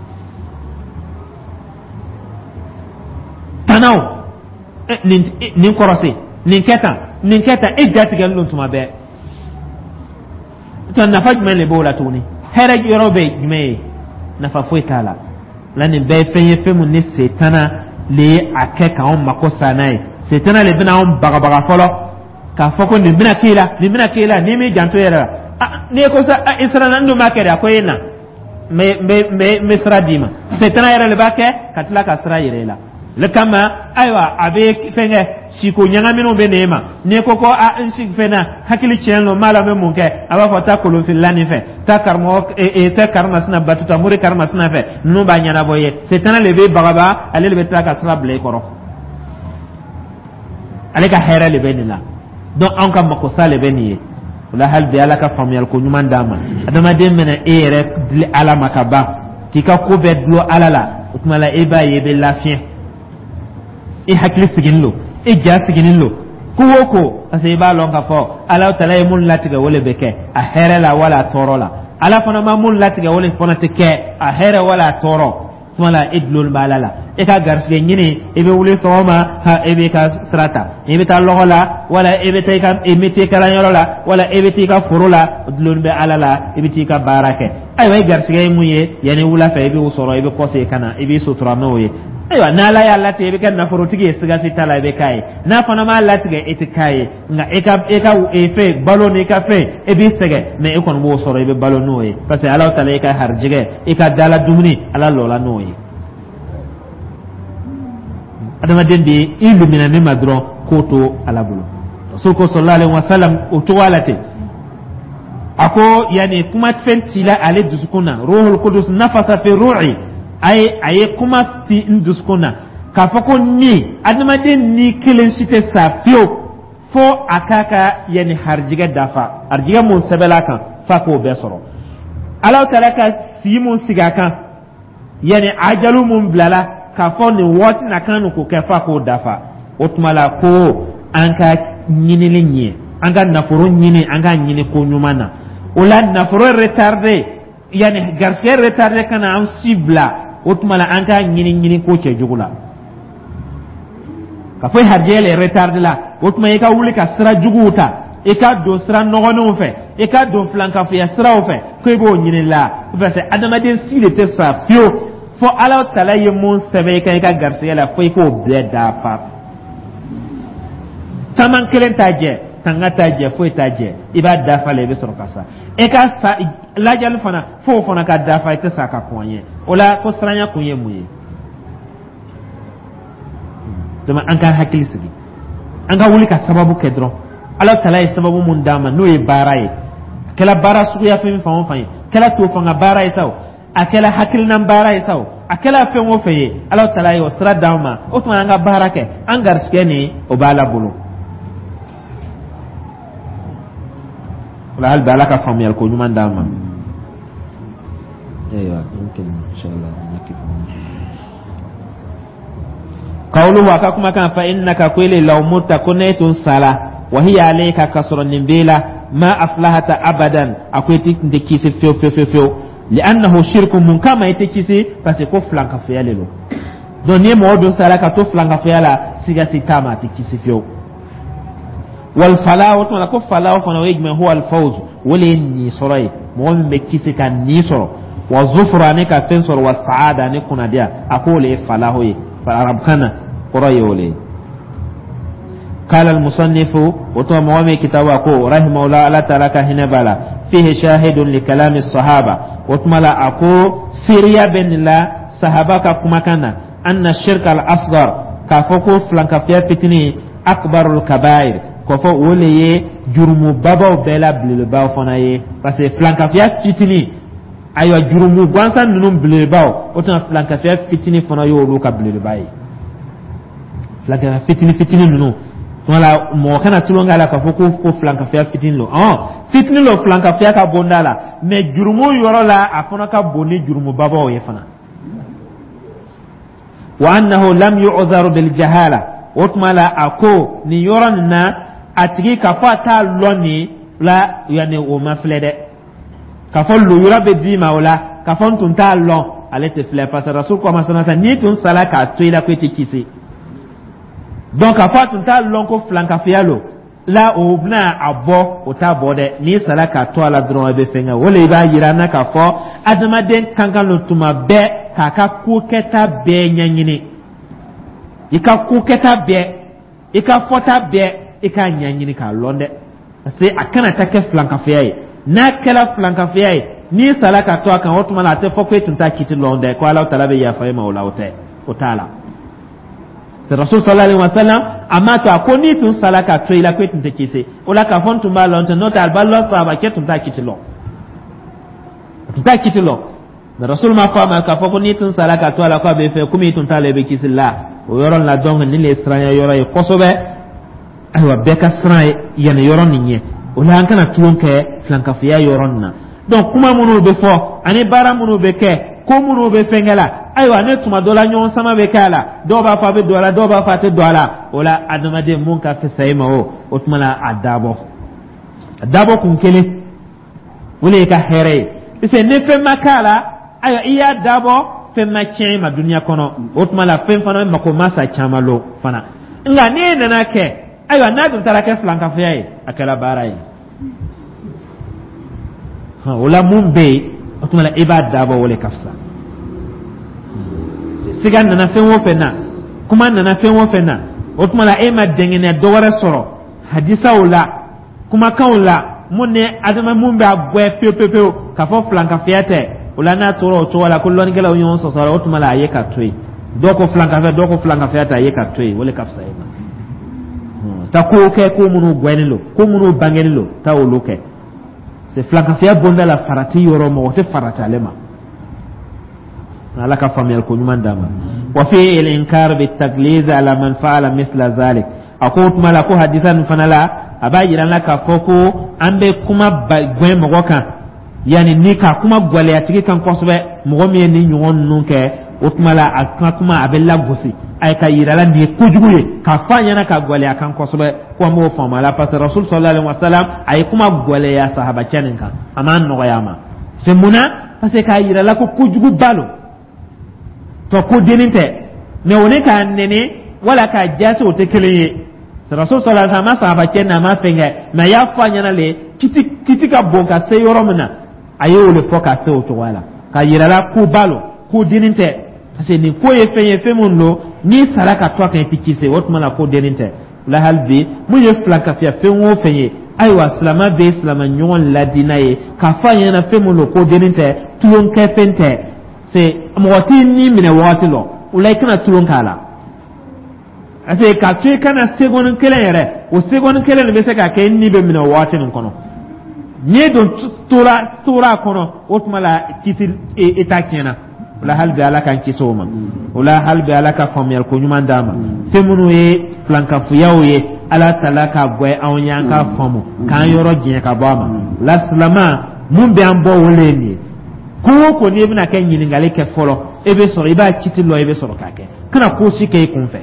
Tanaw, nin kɔrɔsi, nin kɛ tan, nin kɛ tan, e jatigɛlen don tuma bɛɛ. Tɔ nafa jumɛn de b'o la tuguni? Hɛrɛ yɔrɔ bɛ jumɛn ye? Nafa foyi t'a la. La nin bɛɛ ye fɛn ye, fɛn mun ni setana le ye a kɛ k'anw mako sa n'a ye. Setana le bɛna anw bagabaga fɔlɔ k'a fɔ ko nin bɛna k'i la, nin bɛna k'i la n'i m'i janto i yɛrɛ la. N'i ko sa i siranna, n dun b'a kɛ de. A ko e na, n bɛ sira d'i ma. Setana yɛrɛ de b'a kɛ ka tila ka sira yira i la. Le kama, ayiwa, a bɛ fɛn kɛ siko ɲagaminw bɛ n'e ma. N'i ko a n si fɛn na, hakili tiɲɛ don, n b'a la, n bɛ mun kɛ? A b'a fɔ taa kolonfilila nin fɛ, taa karamɔgɔ ee taa karimasina batuta mori karimasina fɛ, ninnu b'a ɲɛnabɔ i ye. Setana de bɛ bagaba, ale de bɛ tila ka sira bila i kɔrɔ. Ale ka hɛrɛ de bɛ nin la. Donc anw ka makosa de bɛ nin ye. O la hali bi, Ala ka faamuyali ko ɲuman d'an ma. Adamaden mana e yɛrɛ dili Ala ma ka ban, k'i ka ko bɛɛ dulon Ala la, o tuma la e b'a ye i bɛ lafiɲɛ. I hakili siginin lo, i ja siginin lo, ko o ko, parce que i b'a lɔn k'a fɔ Ala tala ye mun latigɛ, o le bɛ kɛ, a hɛrɛ la wala a tɔɔrɔ la. Ala fana ma mun latigɛ, o le fana tɛ kɛ, a hɛrɛ wala a tɔɔrɔ. Tuma la, e dulon b'a la la e ka garisigɛ ɲini. I bɛ wuli sɔgɔma, ha, e b'i ka sira ta, i bɛ taa lɔgɔ la, wala e bɛ taa i ka métier kalanyɔrɔ la, wala e bɛ taa i ka foro la, dulon bɛ Ala la, i bɛ t'i ka baara kɛ. Ayiwa, i garisigɛ ye mun ye? Yanni wula fɛ, i b'o sɔrɔ, i bɛ kɔsegin ka na, i b'i sutura n'o ye. Ayiwa, n'Ala y'a latigɛ i bɛ kɛ nafolotigi ye, siga si t'a la, i bɛ k'a ye. N'a fana m'a latigɛ, e tɛ k'a ye. Nka e ka fɛn balo n'i ka fɛn, e b'i sɛgɛn, mais e kɔni b'o sɔrɔ, i bɛ balo n'o ye, parce que Ala ta la, i ka harijɛgɛ, i ka dala dumuni, Ala lɔla n'o ye. Adamaden de i lumina min ma dɔrɔn, k'o to Ala bolo. Rasul ko sallallahu alaihi wasallam o cogo la ten. A ko yanni kuma fɛn cila ale dusukun na, ruhul qudus nafasa fi ruhi, a ye kuma ci n dusukun na k'a fɔ ko ni adamaden ni kelen si tɛ sa fiyewu fo a k'a ka yanni harijigɛ dafa. Harijigɛ mun sɛbɛnla kan, f'a k'o bɛɛ sɔrɔ. Ala taala ka si mun sigi a kan, yanni ajalu mun bilala k'a fɔ nin waati na kan k'o kɛ, f'a k'o dafa. O tuma la, ko an ka ɲinili ɲɛ, an ka nafolo ɲini, an ka ɲini ko ɲuman na. O la, nafolo retardé, yanni garisɛgɛ retardé ka na an si bila, o tuma la, an k'a ɲini ɲini ko cɛjugu la. Ka fɔ harijɛgɛ le retardé la, o tuma i ka wuli ka sira juguw ta, i ka don sira nɔgɔninw fɛ, i ka don filankafoya siraw fɛ, ko i b'o ɲini la, parce que adamaden si de tɛ sa fiyewu fo Ala tala ye mun sɛbɛn i kan i ka garisɛgɛ la, fo i k'o bɛɛ dafa. Taman kelen t'a jɛ, tanga t'a jɛ, foyi t'a jɛ. I b'a dafa la, i bɛ sɔrɔ ka sa. E ka sa lajali fana, f'o fana ka dafa, i tɛ sa ka kɔn ɲɛ. O la, ko siranya kun ye mun ye? Donc an ka hakili sigi, an ka wuli ka sababu kɛ dɔrɔn. Ala tala ye sababu mun d'an ma, n'o ye baara ye, a kɛla baara suguya fɛn fan o fan ye, kɛla to fanga baara ye sa o, a kɛla hakilinan baara ye sa o, a kɛla fɛn o fɛn ye, Ala tala ye o sira d'an ma. O tuma, an ka baara kɛ, an garisigɛ nin, o b'Ala bolo. O la, hali bi, Ala ka faamuyali ko ɲuman d'an ma. Ayiwa, mumkin inshallah nakif. Qawluhu, a ka kumakan, fa innaka, ko ile, law mutta, ko ne tun sala, wa hiya alayka, ka sɔrɔ nin b'e la, ma aflahata abadan, a ko i tɛ kisi fewu fewu fewu fewu. Li'annahu shirku. Mun kama i tɛ kisi? Parce que ko filankafoya le don. Donc ni mɔgɔ dun sara ka to filankafoya la, siga si t'a ma, a tɛ kisi fiyewu. Wal falahu, o tuma la, ko falahu fana, o ye jumɛn? Huwa al fawz, o le ye nin sɔrɔ ye, mɔgɔ min bɛ kisi ka nin sɔrɔ, wa zufuru, ani ka fɛn sɔrɔ, wa saada, ani kunnadiya, a k'o le ye falahu ye arabukan na, kɔrɔ ye o le ye. قال المصنف وتو موامي كتاب أكو رحمه الله، الله تعالى كهنا بالا، فيه شاهد لكلام الصحابة. وتملا أكو سيريا بن الله صحابة كما كان أن الشرك الأصغر، كافوكو فلانكافيا فتني، أكبر الكبائر، k'a fɔ o le ye jurumu babaw bɛɛ la belebelebaw fana ye, parce que filankafiya fitini, ayiwa, jurumu gansan ninnu belebelebaw, o tuma filankafiya fitini fana y'olu ka belebeleba ye. Filankafiya fitini fitini ninnu tuma la, mɔgɔ kana tulon k'a la k'a fɔ ko filankafiya fitini lo. Ɔn, fitini lo filankafiya ka bonda la, mais jurumu yɔrɔ la, a fana ka bon ni jurumu babaw ye fana. Wa annahu lam yu'dharu bil jahala. O tuma la, a ko nin yɔrɔ nin na, a tigi k'a fɔ a t'a lɔn nin la, yanni o ma filɛ dɛ, k'a fɔ luyura bɛ d'i ma o la, k'a fɔ n tun t'a lɔn, ale tɛ filɛ, parce que Rasul ko ma sanasa n'i tun sala k'a to i la, ko i tɛ kisi. Donc k'a fɔ a tun t'a lɔn ko filankafoya lo la, o bɛna a bɔ, o t'a bɔ dɛ. N'i sala k'a to a la dɔrɔn, i bɛ fɛn kɛ. O le b'a yira an na k'a fɔ adamaden kan ka lo tuma bɛɛ k'a ka ko kɛta bɛɛ ɲɛɲini, i ka ko kɛta bɛɛ, i ka fɔta bɛɛ, i k'a ɲɛɲini k'a lɔn dɛ, parce que a kana taa kɛ filankafoya ye. N'a kɛra filankafoya ye, n'i sala ka to a kan, o tuma la, a tɛ fɔ ko e tun t'a kiti lɔn dɛ, ko Ala taala bɛ yafa e ma o la. O tɛ, o t'a la. Rasul sallallahu alaihi wasallam a ma to a ko n'i tun sala ka to i la, ko e tun tɛ kisi o la, k'a fɔ n tun b'a lɔn tɛ. N'o tɛ, a b'a lɔn sahaba kɛ tun t'a kiti lɔn, a tun t'a kiti lɔn, mais Rasul ma fɔ a ma k'a fɔ ko n'i tun sala ka to a la, ko a bɛ fɛ komi i tun t'a la, i bɛ kisi la o yɔrɔ la. Donc nin de ye siranya yɔrɔ ye kosɛbɛ. Ayiwa, bɛɛ ka siran yanni yɔrɔ nin ɲɛ. O la, an kana tulon kɛ filankafoya yɔrɔ nin na. Donc kuma minnu bɛ fɔ ani baara minnu bɛ kɛ, ko minnu bɛ fɛnkɛ la, Ayiwa, ne tuma dɔ la, ɲɔgɔn sama bɛ kɛ a la. Dɔw b'a fɔ a bɛ don a la, dɔw b'a fɔ a tɛ don a la. O la, adamaden, mun ka fisa i ma, o tuma la, a dabɔ kun kelen, o de y'i ka hɛrɛ ye, parce que ni fɛn ma k'a la, ayiwa, i y'a dabɔ, fɛn ma tiɲɛ i ma duniya kɔnɔ. O tuma la, fɛn fana mako ma sa caman lo fana. Nka n'e nana kɛ, ayiwa, n'a dun taara kɛ filankafoya ye, a kɛra baara ye. O la, mun bɛ yen, o tuma la, i b'a dabɔ, o de ka fisa. Siga nana fɛn o fɛn na, kuma nana fɛn o fɛn na, o tuma la, e ma dɛngɛnɛ dɔ wɛrɛ sɔrɔ hadisaw la, kumakanw la, mun ni adama mun b'a gwɛ pewu pewu pewu k'a fɔ filankafoya tɛ. O la, n'a tora o cogo la, ko lɔnnikɛlaw ɲɔgɔn sɔsɔ la, o tuma la, a ye ka to yen. Dɔw ko filankafoya, dɔw ko filankafoya tɛ, a ye ka to yen, o de ka fisa e ma. Ta kow kɛ, ko minnu gwɛnnen don, ko minnu bangenen don, taa olu kɛ. C'est filankafoya bonda la, farati yɔrɔ, mɔgɔ tɛ farati ale ma. Ala ka faamuyali ko ɲuman d'a ma. Wa fi al-inkar bitagliz ala man fa'ala misla zalik. A ko o tuma la, ko hadisa nin fana la, a b'a yira n la k'a fɔ ko an bɛ kuma gwɛn mɔgɔ kan, yanni ni ka kuma gwɛlɛya tigi kan kosɛbɛ. Mɔgɔ min ye nin ɲɔgɔn ninnu kɛ, o tuma la, a ka kuma a bɛ lagosi a ye, ka yira la nin ye kojugu ye, k'a fɔ a ɲɛna, ka gwɛlɛya kan kosɛbɛ, ko an b'o faamu a la, parce que Rasul sallallahu alaihi wa sallam, a ye kuma gwɛlɛya sahabacɛ nin kan, a m'a nɔgɔya a ma. C'est mun na? Parce que k'a yira la ko kojuguba lo tɔ, ko dennin tɛ. Mais o ni k'a nɛni wala k'a jasi, o tɛ kelen ye. Rasul sallallahu alaihi wa sallam ma sahabacɛ n'a ma fɛn kɛ, mais a y'a fɔ a ɲɛna le, kiti kiti ka bon ka se yɔrɔ min na, a ye o de fɔ ka se o cogoya la, k'a yira la ko ba lo, ko dennin tɛ, parce que nin ko ye fɛn ye, fɛn min don, n'i sara ka to a kan, i tɛ kisi. O tuma la, ko dennin tɛ la. Hali bi, mun ye filankafiya fɛn o fɛn ye, ayiwa, silama bɛ silama ɲɔgɔn ladi n'a ye, k'a fɔ a ɲɛna fɛn min don, ko dennin tɛ, tulonkɛ fɛn tɛ. C'est mɔgɔ t'i ni minɛ wagati lɔ, o la, i kana tulon k'a la, parce que k'a to i kana seconde kelen yɛrɛ, o seconde kelen de bɛ se ka kɛ i ni bɛ minɛ o waati nin kɔnɔ. N'i dun tora a kɔnɔ, o tuma la, kisi i ta tiɲɛna. O la, hali bi, Ala k'an kisi o ma. O la, hali bi, Ala ka faamuyali ko ɲuman d'an ma. Fɛn minnu ye filankafoyaw ye, Ala tala ka gwɛ anw ye, an k'a faamu, k'an yɔrɔ jɛn ka bɔ a ma. O la, silama mun bɛ an bɔ, o le ye nin ye. Ko o ko, n'i bɛna kɛ, ɲininkali kɛ fɔlɔ, e bɛ sɔrɔ i b'a kiti lɔ, i bɛ sɔrɔ k'a kɛ. Kana ko si kɛ i kun fɛ,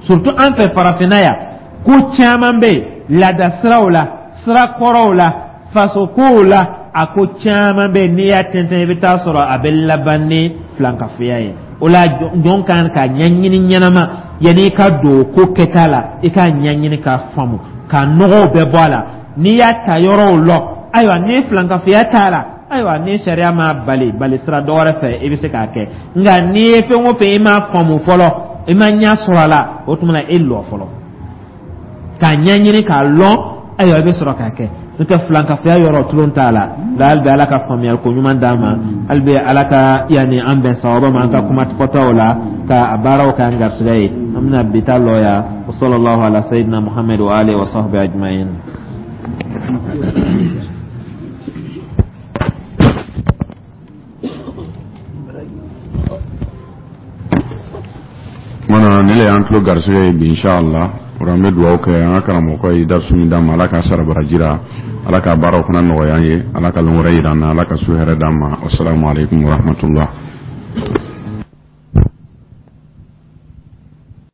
surtout an fɛ farafinna yan. Ko caman bɛ yen, laada siraw la, sira kɔrɔw la, faso kow la, a ko caman bɛ yen, n'i y'a tɛntɛn, i bɛ taa sɔrɔ a bɛ laban ni filankafoya ye. O la, jɔn kan ka ɲɛɲini ɲɛnama yanni i ka don ko kɛta la. I k'a ɲɛɲini k'a faamu, k'a nɔgɔw bɛɛ bɔ a la. N'i y'a ta yɔrɔw lɔ, ayiwa, ni filankafoya t'a la, ayiwa, ni sariya m'a bali bali sira dɔ wɛrɛ fɛ, i bɛ se k'a kɛ. Nka n'i ye fɛn o fɛn, i m'a faamu fɔlɔ, i ma ɲɛ sɔrɔ a la, o tuma na, e lɔ fɔlɔ k'a ɲɛɲini k'a lɔn, ayiwa, i bɛ sɔrɔ k'a kɛ. N'o tɛ, filankafoya yɔrɔ, tulon t'a la. Nka hali bi, Ala ka faamuyali ko ɲuman d'an ma. Hali bi, Ala ka yanni an bɛn sawaba ma an ka kuma fɔtaw la, ka a baaraw k'an garisɛgɛ ye. An bɛna bi ta lɔ yan. Wa sallallahu ala sayyidina Muhammad wa alihi wa sahbihi ajma'in. Mana ne le y'an tulo garisɛgɛ ye bi, inshallah. O an bɛ dugawu kɛ an ka karamɔgɔ ye, darisu min d'an ma, Ala k'a sara baraji la, Ala ka baaraw fana nɔgɔya an ye, Ala ka lon wɛrɛ yira an na, Ala ka su hɛrɛ d'an ma. Wasalamu aleykum warahmatullah.